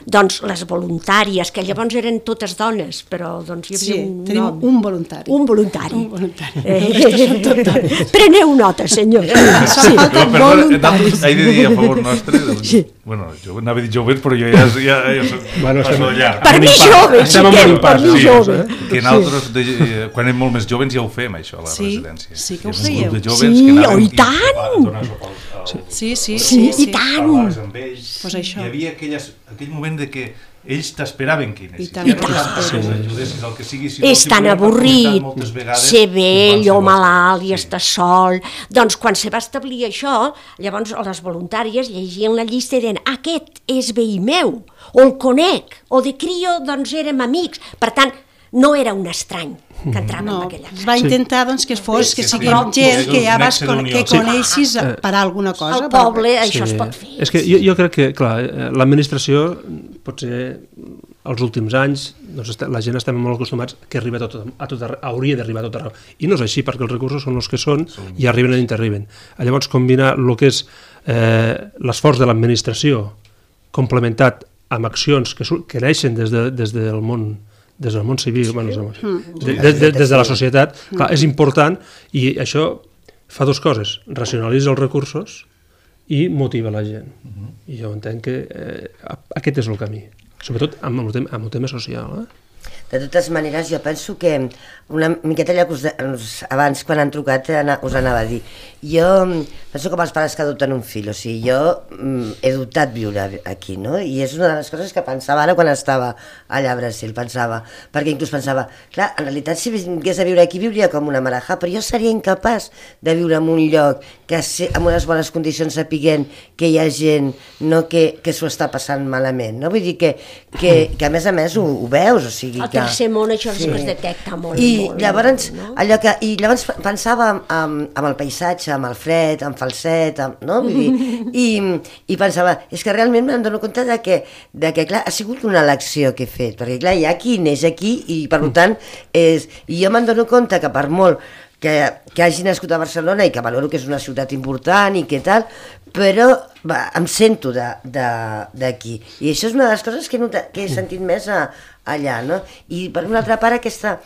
doncs les voluntàries, que llavors eren totes dones, però doncs hi havia Sí, un tenim nom. un voluntari. Un voluntari. Un voluntari. Eh, preneu nota, senyors. Sí. Jo, perdona, voluntaris. nosaltres he de dir a favor nostre, doncs, sí. bueno, jo anava a dir joves, però jo ja, ja, ja soc Bueno, estem- passo llarg. Per mi jove, Estem en xiquet, un per pas, mi sí, jove. Que nosaltres, de, eh, quan érem molt més joves, ja ho fem, això, a la Sí, residència. sí que ho Hi havia un grup fèieu. de joves Sí, que anàvem oh, i i tant! a donar suport al- Sí, sí, Sí, sí, sí. i tant. parlaves amb ells, Pues això. hi havia aquelles, aquell moment de que ells t'esperaven que hi anessis. tant, Ja i no tant. tant que els ajudessis, el que sigui, sinó És tan simplement per avorrit comentar moltes vegades ser vell o qualsevol malalt cosa. i estar sol. Doncs quan se va establir això, llavors les voluntàries llegien la llista i deien aquest és veí meu, o el conec, o de crio doncs érem amics. Per tant, no era un estrany que entrava No, en aquella es casa. va intentar doncs, que fos, Sí, que sí, sigui sí. gent Sí, que ja un vas nexe con, d'unió. que Sí. coneixis per alguna cosa. Al poble això es Sí. pot fer. És que jo, jo crec que, clar, eh, l'administració, potser els últims anys, doncs, est- la gent estem molt acostumats que arriba a tot, a tot arreu, hauria d'arribar a tot arreu. I no és així, perquè els recursos són els que són i arriben on arriben. Llavors, combinar el que és eh, l'esforç de l'administració complementat amb accions que, su- que neixen des, de, des del món des del món civil, bueno, des, del món, de, de, de, des de la societat, clar, és important i això fa dues coses, racionalitza els recursos i motiva la gent. I jo entenc que eh, aquest és el camí, sobretot amb el tema, amb el tema social. Eh? De totes maneres, jo penso que una miqueta allò que us, de- us, abans, quan han trucat, ana- us anava a dir. Jo mm, penso com els pares que adopten un fill, o sigui, jo mm, he dubtat viure aquí, no? I és una de les coses que pensava ara quan estava allà a Brasil, pensava, perquè inclús pensava, clar, en realitat si vingués a viure aquí viuria com una marajá, però jo seria incapaç de viure en un lloc que se, amb unes bones condicions sapiguent que hi ha gent no, que, que s'ho està passant malament, no? Vull dir que, que, que a més a més ho, ho veus, o sigui, dir al que... tercer món això sí. es detecta molt. I molt, llavors, molt, no? allò que, i llavors pensava amb, amb, amb el paisatge, amb el fred, amb falset, amb, no? Vull dir, i, i pensava, és que realment em dono compte de que, de que, clar, ha sigut una elecció que he fet, perquè, clar, hi ha qui neix aquí i, per tant, és, i jo me'n dono compte que per molt que, que hagi nascut a Barcelona i que valoro que és una ciutat important i que tal, però va, em sento d'aquí. I això és una de les coses que he, notat, que he sentit més a, allà, no? I per una altra part, aquesta,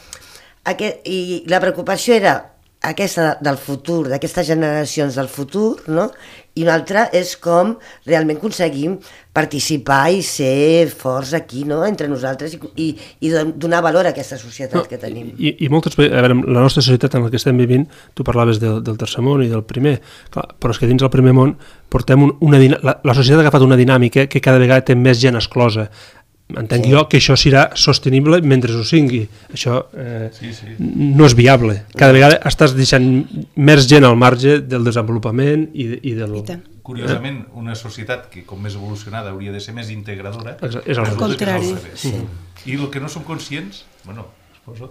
aquest, i la preocupació era aquesta del futur, d'aquestes generacions del futur, no? I una altra és com realment aconseguim participar i ser forts aquí, no?, entre nosaltres i, i, i donar valor a aquesta societat no, que tenim. I, i moltes, a veure, la nostra societat en la que estem vivint, tu parlaves del, del tercer món i del primer, clar, però és que dins del primer món portem un, una, la, la societat ha agafat una dinàmica que cada vegada té més gent exclosa. Entenc sí. jo que això serà sostenible mentre ho sigui. Això eh, sí, sí. no és viable. Cada vegada estàs deixant més gent al marge del desenvolupament i, de, i del... I Curiosament, una societat que com més evolucionada hauria de ser més integradora, és al contrari. Sí. I el que no som conscients, bueno, suposo,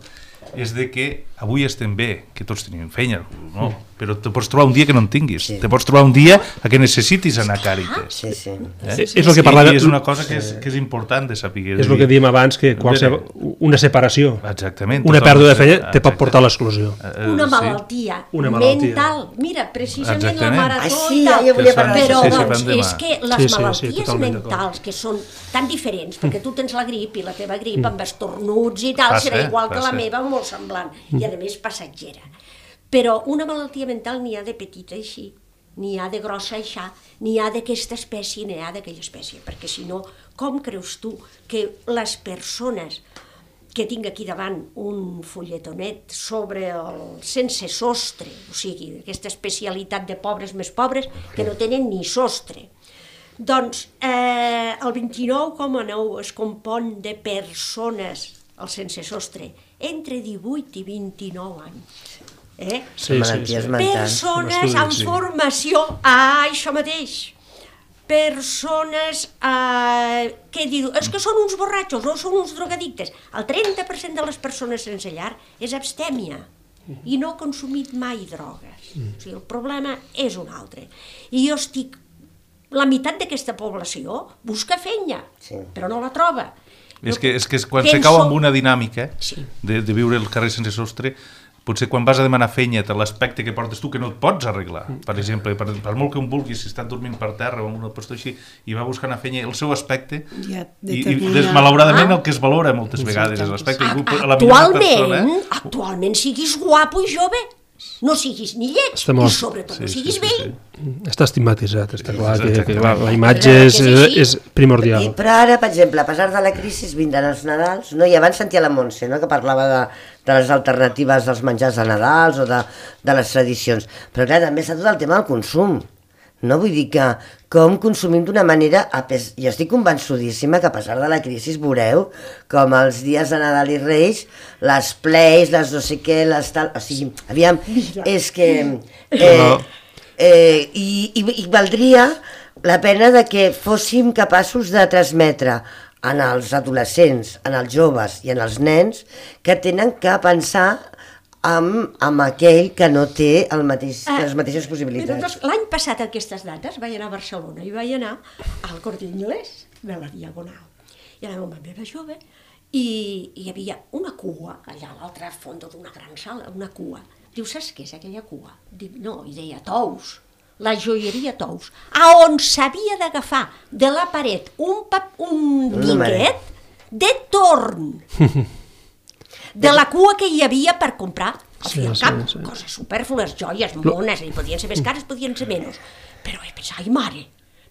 és de que avui estem bé, que tots tenim feina, no? Però te pots trobar un dia que no en tinguis. Sí. Te pots trobar un dia a que necessitis anar a Càritas. Sí, sí. Eh? Sí, sí. És, el que parlava... I és una cosa que és, que és important de saber. És el que diem abans, que qualsevol, una separació, exactament, una pèrdua de feina te pot portar a l'exclusió. Una malaltia, sí. una malaltia mental. Mira, precisament exactament. La marató ah, sí, ja volia parlar. Però sí, sí, doncs, és que les sí, sí, malalties sí, mentals, que són tan diferents, perquè tu tens la grip i la teva grip amb estornuts i tal, serà igual que la meva, molt semblant, i a més passatgera. Però una malaltia mental n'hi ha de petita així, n'hi ha de grossa així, n'hi ha d'aquesta espècie, n'hi ha d'aquella espècie, perquè si no, com creus tu que les persones que tinc aquí davant un folletonet sobre el sense sostre, o sigui, aquesta especialitat de pobres més pobres que no tenen ni sostre, doncs eh, el vint-i-nou coma nou es compon de persones, el sense sostre, entre divuit i vint-i-nou anys. Eh? Sí, sí, sí. Persones amb formació a això mateix. Persones eh, que diu, és que són uns borratxos o són uns drogadictes. El trenta per cent de les persones sense llar és abstèmia i no ha consumit mai drogues. O sigui, el problema és un altre. I jo estic... La meitat d'aquesta població busca feina, sí. però no la troba. És que, és que quan penso... se cau amb una dinàmica sí. de, de viure el carrer sense sostre, potser quan vas a demanar feina per l'aspecte que portes tu que no et pots arreglar, per exemple, per, per molt que un vulgui, si està dormint per terra o en una posta així, i va buscar una feina, el seu aspecte, ja, i, i des, malauradament ah. el que es valora moltes vegades és l'aspecte. Actualment, actualment siguis guapo i jove, no siguis ni lleig i sobretot sí, no siguis sí, vell. Sí, sí. Està estigmatitzat, està clar que, que la, la imatge és, és primordial. I, però ara, per exemple, a pesar de la crisi vindran els Nadals, no? I abans sentia la Montse, no? que parlava de, de les alternatives dels menjars de Nadals o de, de les tradicions, però clar, també està tot el tema del consum. No? Vull dir que com consumim d'una manera, jo estic convençudíssima que a pesar de la crisi veureu com els dies de Nadal i Reis, les plays, les no sé què, les tal... O sigui, aviam, és que... Eh, eh, i, i, I valdria la pena de que fóssim capaços de transmetre en els adolescents, en els joves i en els nens que tenen que pensar Amb, amb aquell que no té el mateix, ah, les mateixes possibilitats. L'any passat, a aquestes dates, vaig anar a Barcelona i vaig anar al Corte Inglés de la Diagonal. I anava amb la meva jove i, i hi havia una cua allà a l'altre fons d'una gran sala, una cua. Diu, saps què és aquella cua? Dic, no, i deia Tous, la joieria Tous, a on s'havia d'agafar de la paret un, pap, un tiquet de torn. De la cua que hi havia per comprar, al fi i al cap, sí, sí. coses supèrflues, joies, mones, i podien ser més cares, podien ser menys. Però he pensat, ai mare,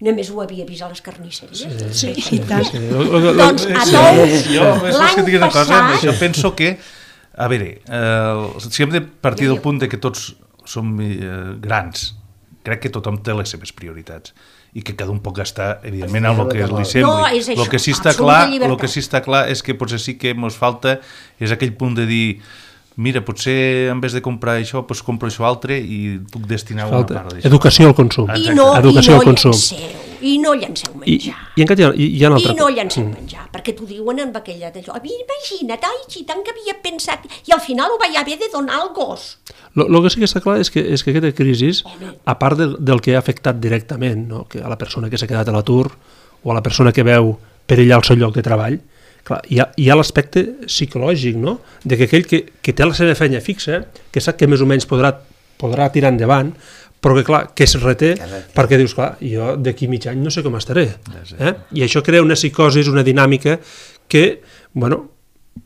només ho havia vist a les carnisseries. Sí, sí, sí, tant. Sí. Doncs a Tous, jo, l'any passat... Jo penso que, a veure, eh, si hem de partir del punt de que tots som eh, grans, crec que tothom té les seves prioritats i que cada un pot gastar, evidentment, en el que li sembli. No, és això, el que sí està clar, el que sí està clar és que potser sí que ens falta és aquell punt de dir mira, potser en vez de comprar això, doncs compro això altre i puc destinar falta una part d'això. Educació al consum. I no, Educació i no al consum. Seu. i no llanceu menjar. I, i encara hi ha, hi ha una altra I no llanceu mm. menjar, perquè t'ho diuen amb aquella d'allò. Imagina't, ai, si tant que havia pensat, i al final ho vaig haver de donar al gos. El que sí que està clar és que, és que aquesta crisi, a part del, del que ha afectat directament, no? Que a la persona que s'ha quedat a l'atur o a la persona que veu perillar el seu lloc de treball, clar, hi ha, ha l'aspecte psicològic, no? De que aquell que, que té la seva feina fixa, que sap que més o menys podrà, podrà tirar endavant, però que, clar, que es reté, perquè dius, clar, jo d'aquí mig any no sé com estaré. Eh? I això crea una psicosi, una dinàmica que, bueno,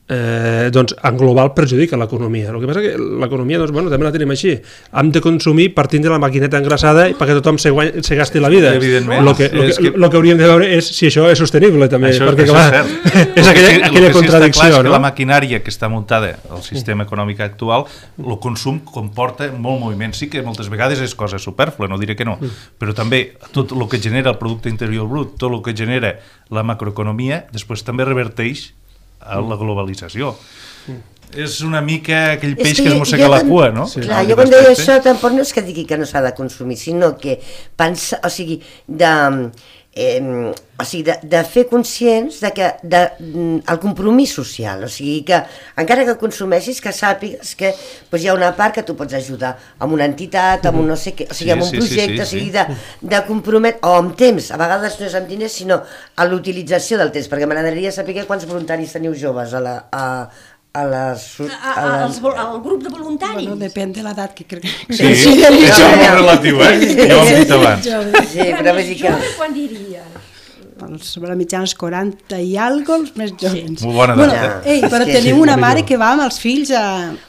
eh, doncs en global perjudica l'economia. El que passa que l'economia, doncs, bueno, també la tenim així. Hem de consumir partint de la maquineta engraçada perquè tothom se, guany, se gasti la vida. Evidentment. Lo que, lo que, que... lo que hauríem de veure és si això és sostenible, també. Això, perquè, això clar, és cert. és aquella, que, aquella que contradicció, sí no? És que la maquinària que està muntada al sistema econòmic actual, el consum comporta molt moviment. Sí que moltes vegades és cosa supèrflua, no diré que no, però també tot el que genera el producte interior brut, tot el que genera la macroeconomia, després també reverteix a la globalització. És una mica aquell peix que, que es mossega la cua, no? Sí. Clar, jo quan deia això tampoc no és que digui que no s'ha de consumir, sinó que pensa, o sigui, de, eh, o sigui, de, de fer conscients de que de, el compromís social, o sigui que encara que consumeixis, que sàpigues que doncs, hi ha una part que tu pots ajudar amb una entitat, amb un no sé què, o sigui, amb un sí, projecte, sí, sí, sí. o sigui, de, de comprometre, o amb temps, a vegades no és amb diners, sinó a l'utilització del temps, perquè m'agradaria saber quants voluntaris teniu joves a la... A, a les... A, a, als, al grup de voluntaris. Bueno, depèn de l'edat que crec que... Sí, sí, això és molt relatiu, eh? Ja ho hem dit abans. Sí, però vull dir que... Jove, quan diria? Sobre la mitjana els quaranta i algo, els més jovens. Molt bona bueno, edat, eh? Ei, però que tenim sí, una mare que va amb els fills a...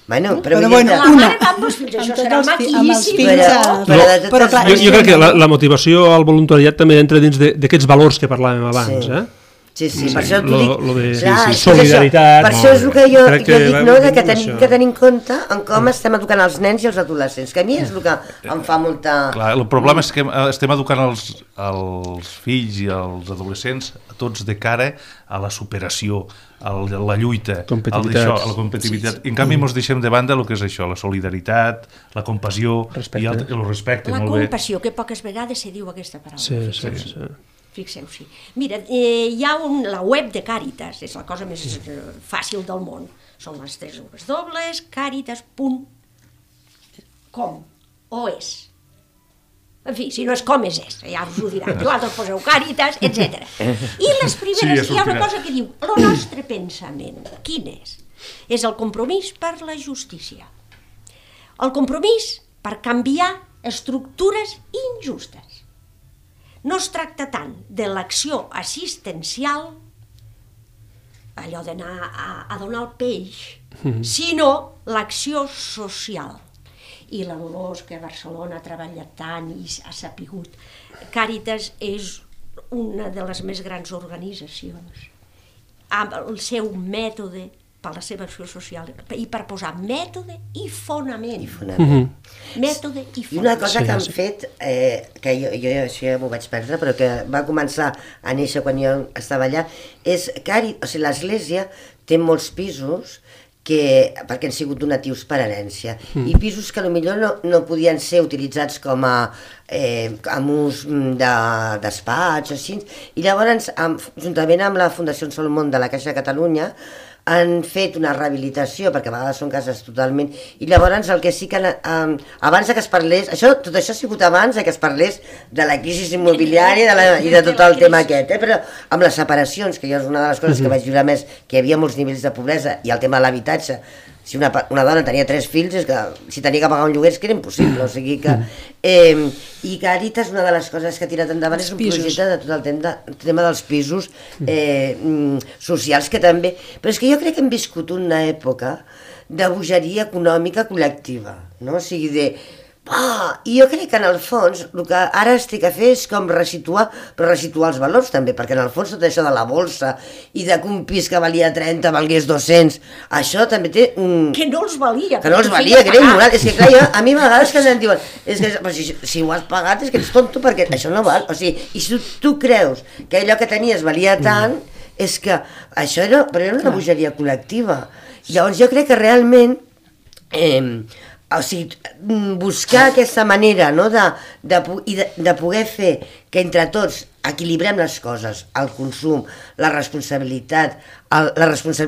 Bueno, però, però vull dir bueno, que... una. La mare va amb els fills, això Amb serà tots els fi- maquíssim. amb els fills Però, a... però de totes però clar, Jo, jo crec que la, la motivació al voluntariat també entra dins d'aquests valors que parlàvem abans, Sí. eh? Sí, sí, Sí, per això t'ho lo- dic. lo de- Clar, sí, sí, és que és solidaritat, això. Per molt això és el que jo, Crec jo que dic, va no, de venint que amb tenim això. que tenir en compte en com estem educant els nens i els adolescents, que a mi és el que em fa molta... Clar, el problema és que estem educant els, els fills i els adolescents a tots de cara a la superació, a la lluita, Competitivitat. al d'això, a la competitivitat. Sí, sí. I en canvi ens deixem de banda el que és això, la solidaritat, la compassió Respecte. i el, el respecte. La molt bé. compassió, que poques vegades se diu aquesta paraula. Sí, sí, fixeu-s'hi. sí. Fixeu-s'hi. Mira, eh, hi ha un, la web de Càritas, és la cosa més eh, fàcil del món. Són les tres ues dobles, càritas punt com, o és. En fi, si no és com és és, ja us ho diran. Vosaltres poseu Càritas, etcètera. I les primeres, Sí, ja hi ha una sortirà. cosa que diu, el nostre pensament, quin és? És el compromís per la justícia. El compromís per canviar estructures injustes. No es tracta tant de l'acció assistencial, allò d'anar a, a donar el peix, mm-hmm. sinó l'acció social. I la Dolors, que a Barcelona ha treballat tant i ha sapigut. Càritas és una de les més grans organitzacions, amb el seu mètode per la seva acció social i per posar mètode i fonament. I fonament. Mètode i fonament. I una cosa Sí, que han sí. fet, eh, que jo, jo això ja m'ho vaig perdre, però que va començar a néixer quan jo estava allà, és que o sigui, l'Església té molts pisos que, perquè han sigut donatius per herència, mm. i pisos que potser no, no podien ser utilitzats com a eh, amb ús de despatx o així, i llavors, amb, juntament amb la Fundació Solomon de la Caixa de Catalunya, han fet una rehabilitació, perquè a vegades són cases totalment... I llavors el que sí que... Um, abans que es parlés... Això, tot això ha sigut abans que es parlés de la crisi immobiliària de la, i de tot el tema aquest, eh? Però amb les separacions, que jo és una de les coses que vaig viure més, que hi havia molts nivells de pobresa, i el tema de l'habitatge, si una, una dona tenia tres fills, és que si tenia que pagar un lloguer és que era impossible, o sigui que... Eh, I Càritas, una de les coses que ha tirat endavant és un projecte de tot el tema, de, el tema dels pisos eh, socials, que també... Però és que jo crec que hem viscut una època de bogeria econòmica col·lectiva, no? O sigui, de... Ah, i jo crec que en el fons el que ara es té que fer és com resituar, però resituar els valors també, perquè en el fons tot això de la bolsa i de que un pis que valia trenta valgués dos-cents, això també té un... Que no els valia. Que no els valia, que era immoral. És que clar, jo, a mi a vegades que em diuen és que si, si ho has pagat és que ets tonto perquè això no val. O sigui, i si tu creus que allò que tenies valia tant, és que això era, però era una bogeria col·lectiva. Llavors jo crec que realment... Eh, o sigui, buscar aquesta manera, no, de, de, i de, de poder fer que entre tots equilibrem les coses, el consum, la responsabilitat, el, la, responsa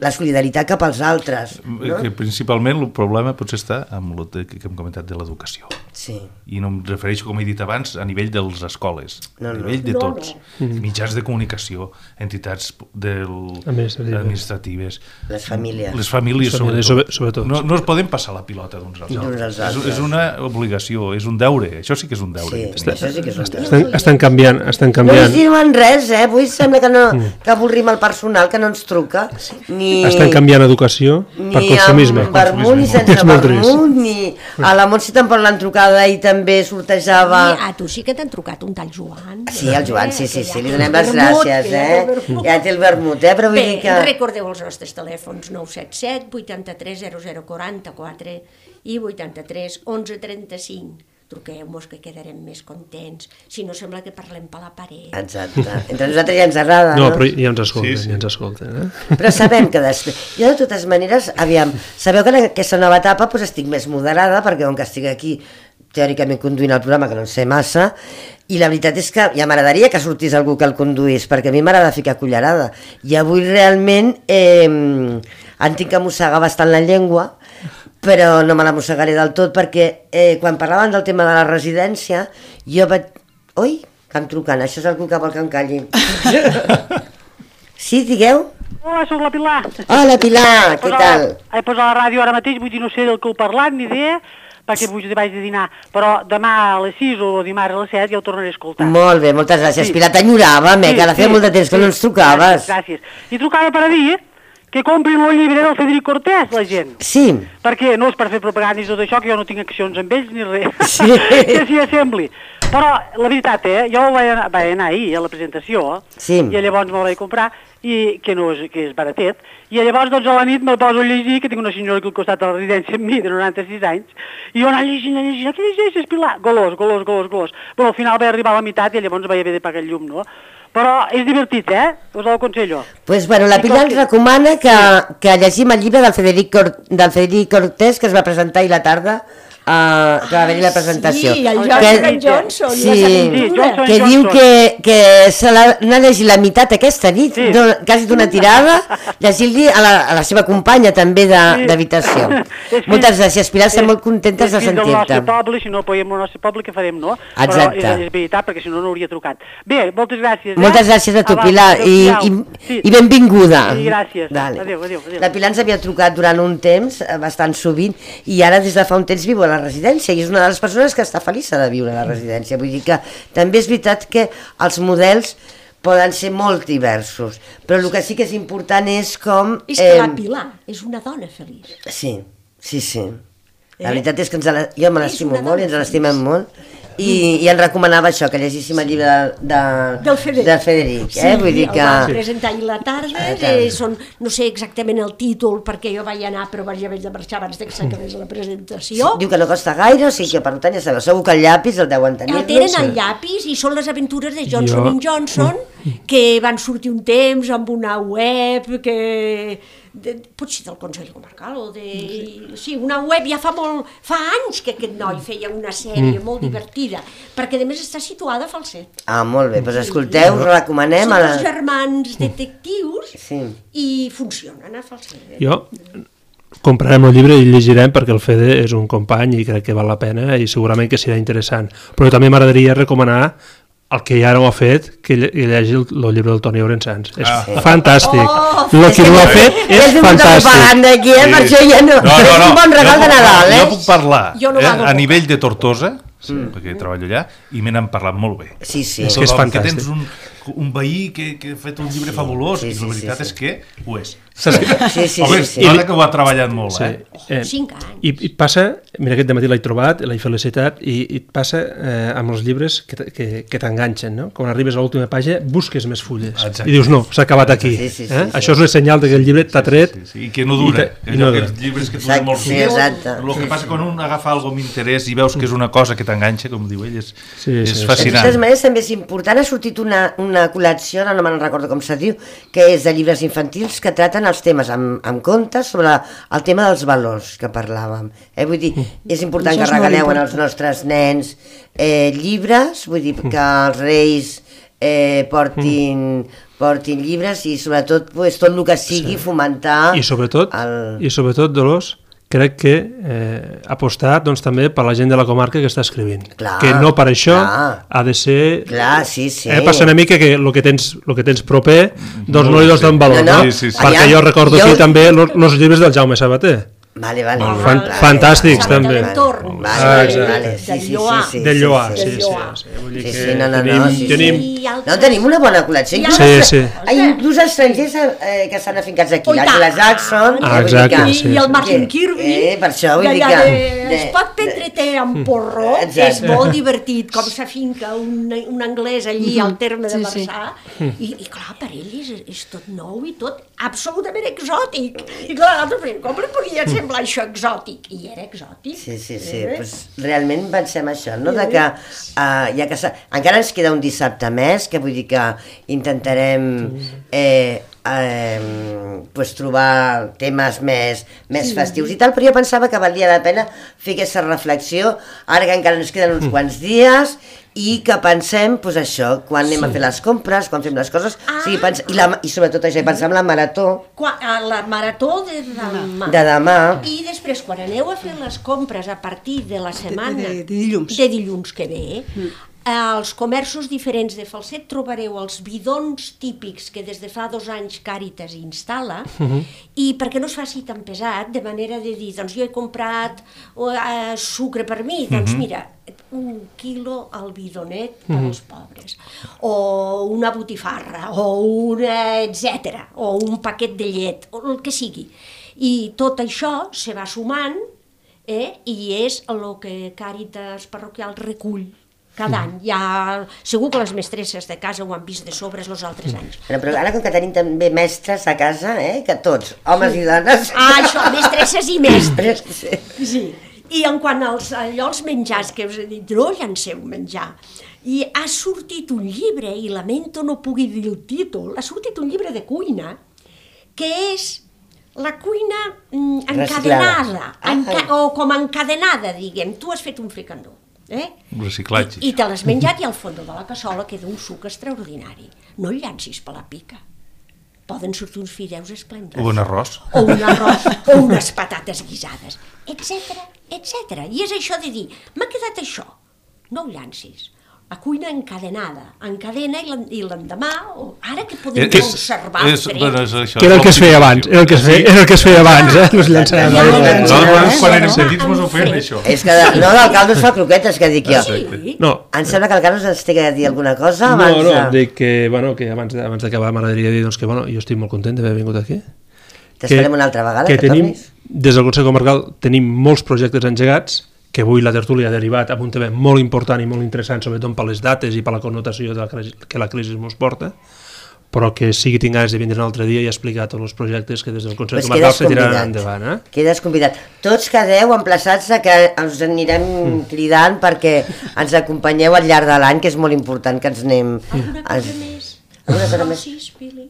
la solidaritat cap als altres. No? Que principalment el problema potser està amb el que hem comentat de l'educació. Sí. I no em refereixo, com he dit abans, a nivell de les escoles, no, a nivell de no, tots, no. mitjans de comunicació, entitats del... administratives. administratives, les famílies, les famílies, les famílies sobretot. sobretot. No, no es poden passar la pilota d'uns als altres. És, és una obligació, és un deure, això sí que és un deure. sí, això sí que és un deure. Estan, estan canviant, estan No canviant. ens diuen res, eh? Avui sembla que, no, que avorrim el personal, que no ens truca. Ni, Estan canviant educació per ni consumisme. amb vermut, ni sense És molt trist. vermut, ni... A la Montse tampoc l'han trucada i també sortejava... I a tu sí que t'han trucat un tal Joan. Sí, el Joan, sí, sí, sí, li Que donem ja les té el vermut, gràcies, que ja té el eh? vermut. Ja té el vermut, eh? Però vull Bé, dir que... recordeu els nostres telèfons nou set set, vuitanta-tres, zero zero, quaranta-quatre i vuitanta-tres, onze, trenta-cinc. Truqueu-nos que quedarem més contents, si no sembla que parlem per la paret. Exacte. Entre nosaltres ja ens agrada, No, no? però ja ens escolten, Sí, sí. ja ens escolten. Eh? Però sabem que després... Jo, de totes maneres, aviam, sabeu que en aquesta nova etapa doncs, estic més moderada, perquè com que estic aquí teòricament conduint el programa, que no en sé massa, i la veritat és que ja m'agradaria que sortís algú que el conduís, perquè a mi m'agrada ficar cullerada. I avui realment eh, en tinc que mossegar bastant la llengua, però no me la mossegaré del tot, perquè eh, quan parlaven del tema de la residència, jo vaig... Ui, que em truquen, això és algú que vol que em calli. Sí, digueu? Hola, sóc la Pilar. Hola, Pilar, què tal? He posat la ràdio ara mateix, vull dir, no sé del que heu parlat, ni idea, perquè vull dir, vaig de dinar, però demà a les sis o dimarts a les set ja ho tornaré a escoltar. Molt bé, moltes gràcies. Sí. Pilar, t'enyoràvem, eh, Sí, que ara feia sí, molt de temps que sí. no ens trucaves. Gràcies, gràcies. I trucava per a dir que comprin el llibre del Federic Cortés, la gent. Sí, Perquè no és per fer propaganda i tot això, que jo no tinc accions amb ells ni res, Sí. que s'hi assembli. Però la veritat, eh, jo vaig anar, vaig anar ahir a la presentació, Sí. i llavors me'l vaig comprar, i que no és, que és baratet, i llavors doncs a la nit me'l poso a llegir, que tinc una senyora aquí al costat de la residència amb mi, de noranta-sis anys, i jo anar llegint, anar llegint, què llegeixes, Pilar? Golós, golós, golós, golós. Però al final vaig arribar a la meitat i llavors vaig haver de pagar el llum, no? Però és divertit, eh? Us ho aconsello. pues, bueno, la I Pilar com ens que- recomana que, que llegim el llibre del Federic, Cor del Federic Cortés, que es va presentar ahir la tarda, uh, que va haver-hi la presentació. Sí, el Que- Johnson Johnson, Sí, les Sí, aventures. Johnson que diu que, que se l'ha anat a llegir la meitat aquesta nit, Sí. no, quasi d'una tirada, llegint-li a, la, a la seva companya també de- Sí. d'habitació. És Moltes fill- gràcies, Pilar, estem és- molt contentes de és fill del nostre sentir-te. poble, si no apoyem el nostre poble, què farem, no? Exacte. Però és, és veritat, perquè si no, no hauria trucat. Bé, moltes gràcies. Moltes eh? gràcies a tu, Abans, Pilar, i, adéu-siau. i, Sí. i benvinguda. Sí, gràcies. Dale. Adéu, adéu, adéu. La Pilar ens havia trucat durant un temps, eh, bastant sovint, i ara des de fa un temps viu a la residència, i és una de les persones que està feliç de viure a la residència. Vull dir que també és veritat que els models poden ser molt diversos, però el que sí que és important és com... És que la Pilar és una dona feliç. Sí, sí, sí. La Eh? veritat és que ens la, jo me És l'estimo una molt i ens dona l'estimem feliç. molt, i, i ens recomanava això, que llegíssim el llibre de, de, Del Federic. de Federic, Sí, eh? Vull dir el que... van presentar ahir la tarda, A la tarda. eh, són, no sé exactament el títol, perquè jo vaig anar, però vaig haver de marxar abans de que s'acabés la presentació. Diu que no costa gaire, o sigui que per tant ja sabeu, segur que el llapis el deuen tenir. El tenen al llapis i són les aventures de Johnson Jo- and Johnson, que van sortir un temps amb una web que... De, potser del Consell Comarcal o de... Sí, una web ja fa molt... Fa anys que aquest noi feia una sèrie molt divertida, perquè a més està situada a Falset. Ah, molt bé, doncs escolteu, us recomanem Són a la... dos germans detectius Sí. i funcionen a Falset. Jo comprarem el llibre i el llegirem perquè el Fede és un company i crec que val la pena i segurament que serà interessant. Però també m'agradaria recomanar el que ja no ha fet, que lle- que llegeixi el, el llibre del Toni Orençans. És Ah. fantàstic. Oh, el és que que no ha ja- fet ja és has vingut a fantàstic. propaganda aquí, eh? Per això ja no... És un bon regal Jo de puc- Nadal, eh? Jo puc parlar Jo no eh? vado a poc. nivell de Tortosa, sí, perquè treballo allà, i me n'han parlat molt bé. Sí, sí. És que és Tothom, fantàstic. tens un, un veí que, que ha fet un llibre fabulós, sí, i sí, la veritat sí, sí. és que ho és. Saps que- Sí, sí, Home, sí, sí. nota que ho ha treballat molt, Sí. eh? Eh, Cinc anys. I, I passa, mira, aquest matí l'he trobat, l'he felicitat, i, i et passa eh, amb els llibres que, t- que, que t'enganxen, no? Quan arribes a l'última pàgina, busques més fulles. Exacte. I dius, no, s'ha acabat aquí. Sí, sí, sí, eh? sí. Això és un senyal que el llibre t'ha tret. Sí, sí, i que no dura. I te- I i no allò, dura. aquests llibres que tu Exacte, molt sí, fulles. exacte. El que passa quan un agafa algo amb interès i veus que és una cosa que t'enganxa, com diu ell, és, Sí, és sí, sí. De fascinant. totes maneres, també és important, ha sortit una, una col·lecció, ara no me'n recordo com se diu, que és de llibres infantils que traten els temes amb, amb compte sobre el tema dels valors que parlàvem. Eh? Vull dir, és important Això que és molt regaleu important. als nostres nens eh, llibres, vull dir, que els reis eh, portin, portin llibres i sobretot pues, tot el que sigui fomentar... I sobretot, el... i sobretot Dolors, crec que eh, apostar doncs, també per la gent de la comarca que està escrivint. Clar, que no per això clar. ha de ser... Clar, sí, sí. Eh, passa una mica que el que tens, lo que tens proper doncs no, no li dones tant valor, no, no. no? Sí, sí, sí. Perquè Allà, jo recordo jo... aquí també els llibres del Jaume Sabater. Vale, vale. Fan, vale, fantàstics, vale, també. vale, Vale, Ah, vale, exacte. vale, sí, sí, Del sí, sí, Del Lloar, sí, sí, sí, sí. Lloar. sí, vull dir Sí, que sí, no, no, tenim, no, sí, sí. tenim, I altres- No, tenim una bona col·lecció. I Inclús, Sí, sí. Hay inclús estrangers eh, que estan afincats aquí. Oh, i tant. L'Angela Jackson. Ah, eh, vull dir exacte, que- I, sí, i el sí. Martin Que- Kirby, eh, per això vull dir d'allà que- de- de- es pot prendre té amb porro, Exacte. és molt divertit, com s'afinca un, un anglès allí al terme de Sí, sí. Marçà, i, i clar, per ell és, és tot nou i tot absolutament exòtic. I clar, nosaltres, com li podia semblar això exòtic? I era exòtic. Sí, sí, sí. Eh? Pues, realment pensem això, no? De que, uh, ja que sa... encara ens queda un dissabte més, que vull dir que intentarem eh, eh, pues, trobar temes més, més festius i tal, però jo pensava que valia la pena fer aquesta reflexió, ara que encara ens queden uns quants dies, i que pensem, doncs això, quan anem a fer les compres, quan fem les coses, Ah. o sigui, pens... I, la... i sobretot això, pensar en la marató Qua, a la marató de demà. de demà. I després, quan aneu a fer les compres a partir de la setmana... de- de dilluns. De dilluns que ve, mm. als comerços diferents de Falset trobareu els bidons típics que des de fa dos anys Càritas instal·la, uh-huh. i perquè no es faci tan pesat, de manera de dir, doncs jo he comprat uh, sucre per mi, doncs uh-huh. mira, un quilo al bidonet per als pobres, o una botifarra, o una etcètera, o un paquet de llet, o el que sigui. I tot això se va sumant, eh, i és el que Càritas Parroquial recull cada any. Ja, segur que les mestresses de casa ho han vist de sobres els altres anys. Però, però ara com que tenim també mestres a casa, eh, que tots, homes i dones... Ah, això, mestresses i mestres. Sí. Sí. I en quant als, allò, als menjars que us he dit, no llanceu menjar. I ha sortit un llibre, i lamento no pugui dir el títol, ha sortit un llibre de cuina, que és la cuina mm, encadenada, Ah. enca o com encadenada, diguem. Tu has fet un fricandó. Eh? Reciclatge. I, i te l'has menjat i al fons de la cassola queda un suc extraordinari. No el llancis per la pica. Poden sortir uns fideus esplèndids. O un arròs. O un arròs, o unes patates guisades, etcètera, etcètera. I és això de dir, m'ha quedat això, no ho llancis. La cuina encadenada, encadena i l'en- i l'endemà, o ara que podem Eh, és- conservar és- fred. bueno, és això, Que era el que es feia abans, era el que es feia, era el que es feia abans, eh? No es llançava. Ja, ja, ja. Nosaltres, quan Eh? érem petits, mos ho feien, Fred. això. És que, de, no, del caldo es fa croquetes, que dic jo. Sí. No, Em sembla que el Carlos ens té que dir alguna cosa no, abans no, de... dic que, bueno, que abans, de- abans d'acabar m'agradaria dir doncs, que bueno, jo estic molt content d'haver vingut aquí. T'esperem una altra vegada, que, que, tenim, tornis. des del Consell Comarcal tenim molts projectes engegats, que avui la tertúlia ha derivat amb un tema molt important i molt interessant, sobretot per les dates i per la connotació de la crisi, que la crisi ens porta, però que sigui tinc ganes de vindre un altre dia i explicar tots els projectes que des del Consell Pues Comarcal quedes se tiraran convidat. endavant. Eh? Quedes convidat. Tots quedeu emplaçats a que us anirem Mm. cridant perquè ens acompanyeu al llarg de l'any, que és molt important que ens anem... Alguna cosa ens- més? Alguna cosa més? Socis, Pili?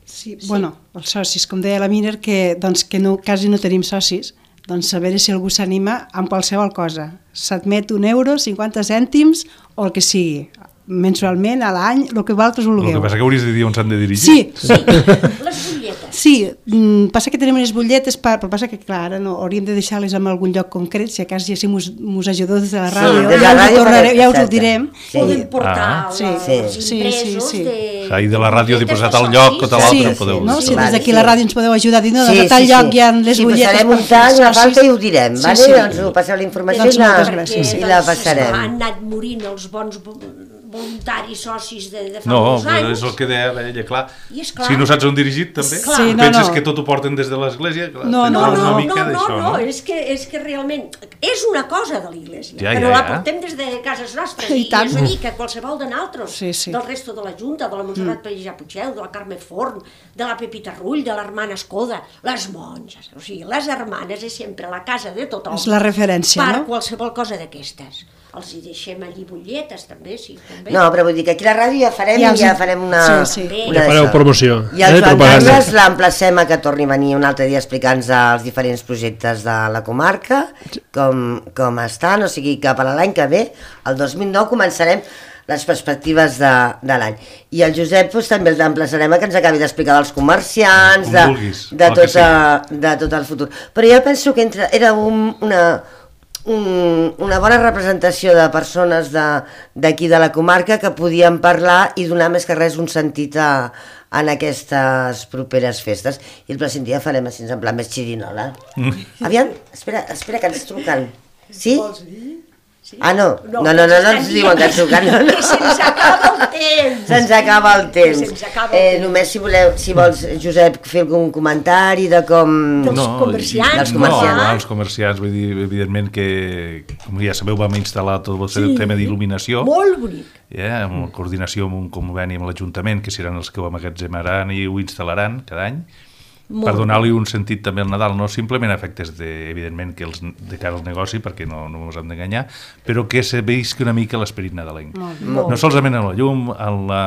Sí, bueno, els socis, com deia la Miner, que, doncs, que no, quasi no tenim socis, doncs a veure si algú s'anima amb qualsevol cosa. S'admet un euro, cinquanta cèntims o el que sigui, mensualment, a l'any, el que vosaltres El vulgueu. que passa que hauries de dir on s'han de dirigir. Sí, Sí, les butlletes. sí, mm, passa que tenim unes butlletes, per, però passa que, clar, ara no, hauríem de deixar-les en algun lloc concret, si a cas ja si mos, mos ajudeu des de la ràdio, des de ja, la us, ràdio ho tornareu, ja us ho exacte. direm. Sí. Podem portar Ah. els Sí, sí. impresos Sí, sí, sí. de... Ahir de la ràdio, butlletes posat de al lloc, socis. o tal altre, Sí, en podeu no? dir. Si des Vale, d'aquí sí. la ràdio ens podeu ajudar a dir, no, Sí, de tal sí, lloc sí. hi ha les sí, butlletes posarem un per tall, fer una falta socis. i ho direm, Sí, vale? sí. Doncs ho passeu la informació Doncs i, la, moltes gràcies. i la passarem. Han anat morint els bons vo- voluntaris socis de, de fa No, molts però anys. és el que deia ella, clar. I és clar. Si no saps on dirigir, també. Clar. Sí, no, Penses no. que tot ho porten des de l'església? clar, No, tens No, no, una no, mica no, no, d'això, no, és que, és que realment és una cosa de l'Iglésia, Ja, però ja, la ja. portem des de cases nostres, I i, tant. és a dir, que qualsevol de nosaltres, Sí, sí. del resto de la Junta, de la Montserrat mm. Pellejà Puigdeu, de la Carme Forn, de la Pepita Rull, de l'hermana Escoda, les monges, o sigui, les hermanes és sempre la casa de tothom. És la referència, per no? qualsevol cosa d'aquestes. Els hi deixem allí butlletes, també, si... No, però vull dir que aquí a la ràdio ja farem, ja, els... ja farem una... Sí, sí. una ja fareu promoció. I el Joan Carles l'emplacem a que torni a venir un altre dia a explicar-nos els diferents projectes de la comarca, com, com estan, o sigui que per a l'any que ve, el dos mil nou, començarem les perspectives de, de l'any. I el Josep doncs, també l'emplaçarem a que ens acabi d'explicar dels comerciants, de, de, tot, de tot el futur. Però jo penso que entre, era un, una, un, una bona representació de persones d'aquí de, de la comarca que podien parlar i donar més que res un sentit a, en aquestes properes festes. I el pròxim dia farem així en plan més xirinola. Mm. Aviam, espera, espera que ens truquen. Sí? Vols dir? Sí? Ah, no, no, no, no, no, no ens diuen que ens truquen. No, no. Que se'ns acaba el temps. Se'ns acaba el temps. Se'ns acaba el eh, temps. Només si voleu, si vols, Josep, fer algun comentari de com... Dels no, comerciants. Dels comerciants. No, no, els comerciants, vull dir, evidentment que, com ja sabeu, vam instal·lar tot el sí. tema d'il·luminació. Molt bonic. Yeah, amb coordinació amb un conveni amb l'Ajuntament, que seran els que ho emmagatzemaran i ho instal·laran cada any. Molt per donar-li un sentit també al Nadal, no simplement a efectes de, evidentment, que els, de cara al negoci, perquè no, no ens hem d'enganyar, però que se veisca una mica l'esperit nadalenc. Molt, molt. No solament amb la llum, amb la,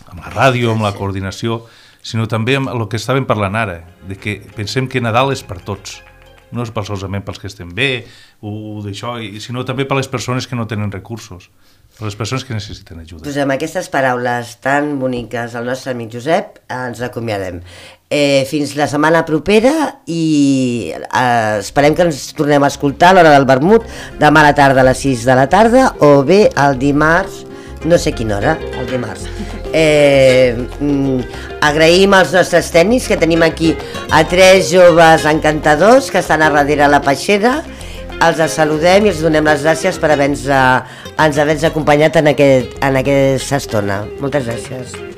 amb la ràdio, amb la coordinació, sinó també amb el que estàvem parlant ara, de que pensem que Nadal és per tots, no és per solament pels que estem bé, o, o d'això, sinó també per les persones que no tenen recursos, per les persones que necessiten ajuda. Doncs amb aquestes paraules tan boniques al nostre amic Josep ens acomiadem. Eh, fins la setmana propera i eh, esperem que ens tornem a escoltar a l'hora del vermut demà a la tarda a les sis de la tarda o bé el dimarts, no sé quina hora, el dimarts. Eh, mm, agraïm als nostres tècnics que tenim aquí a tres joves encantadors que estan a darrere la peixera. Els saludem i els donem les gràcies per haver-nos haver acompanyat en, aquest, en aquesta estona. Moltes gràcies.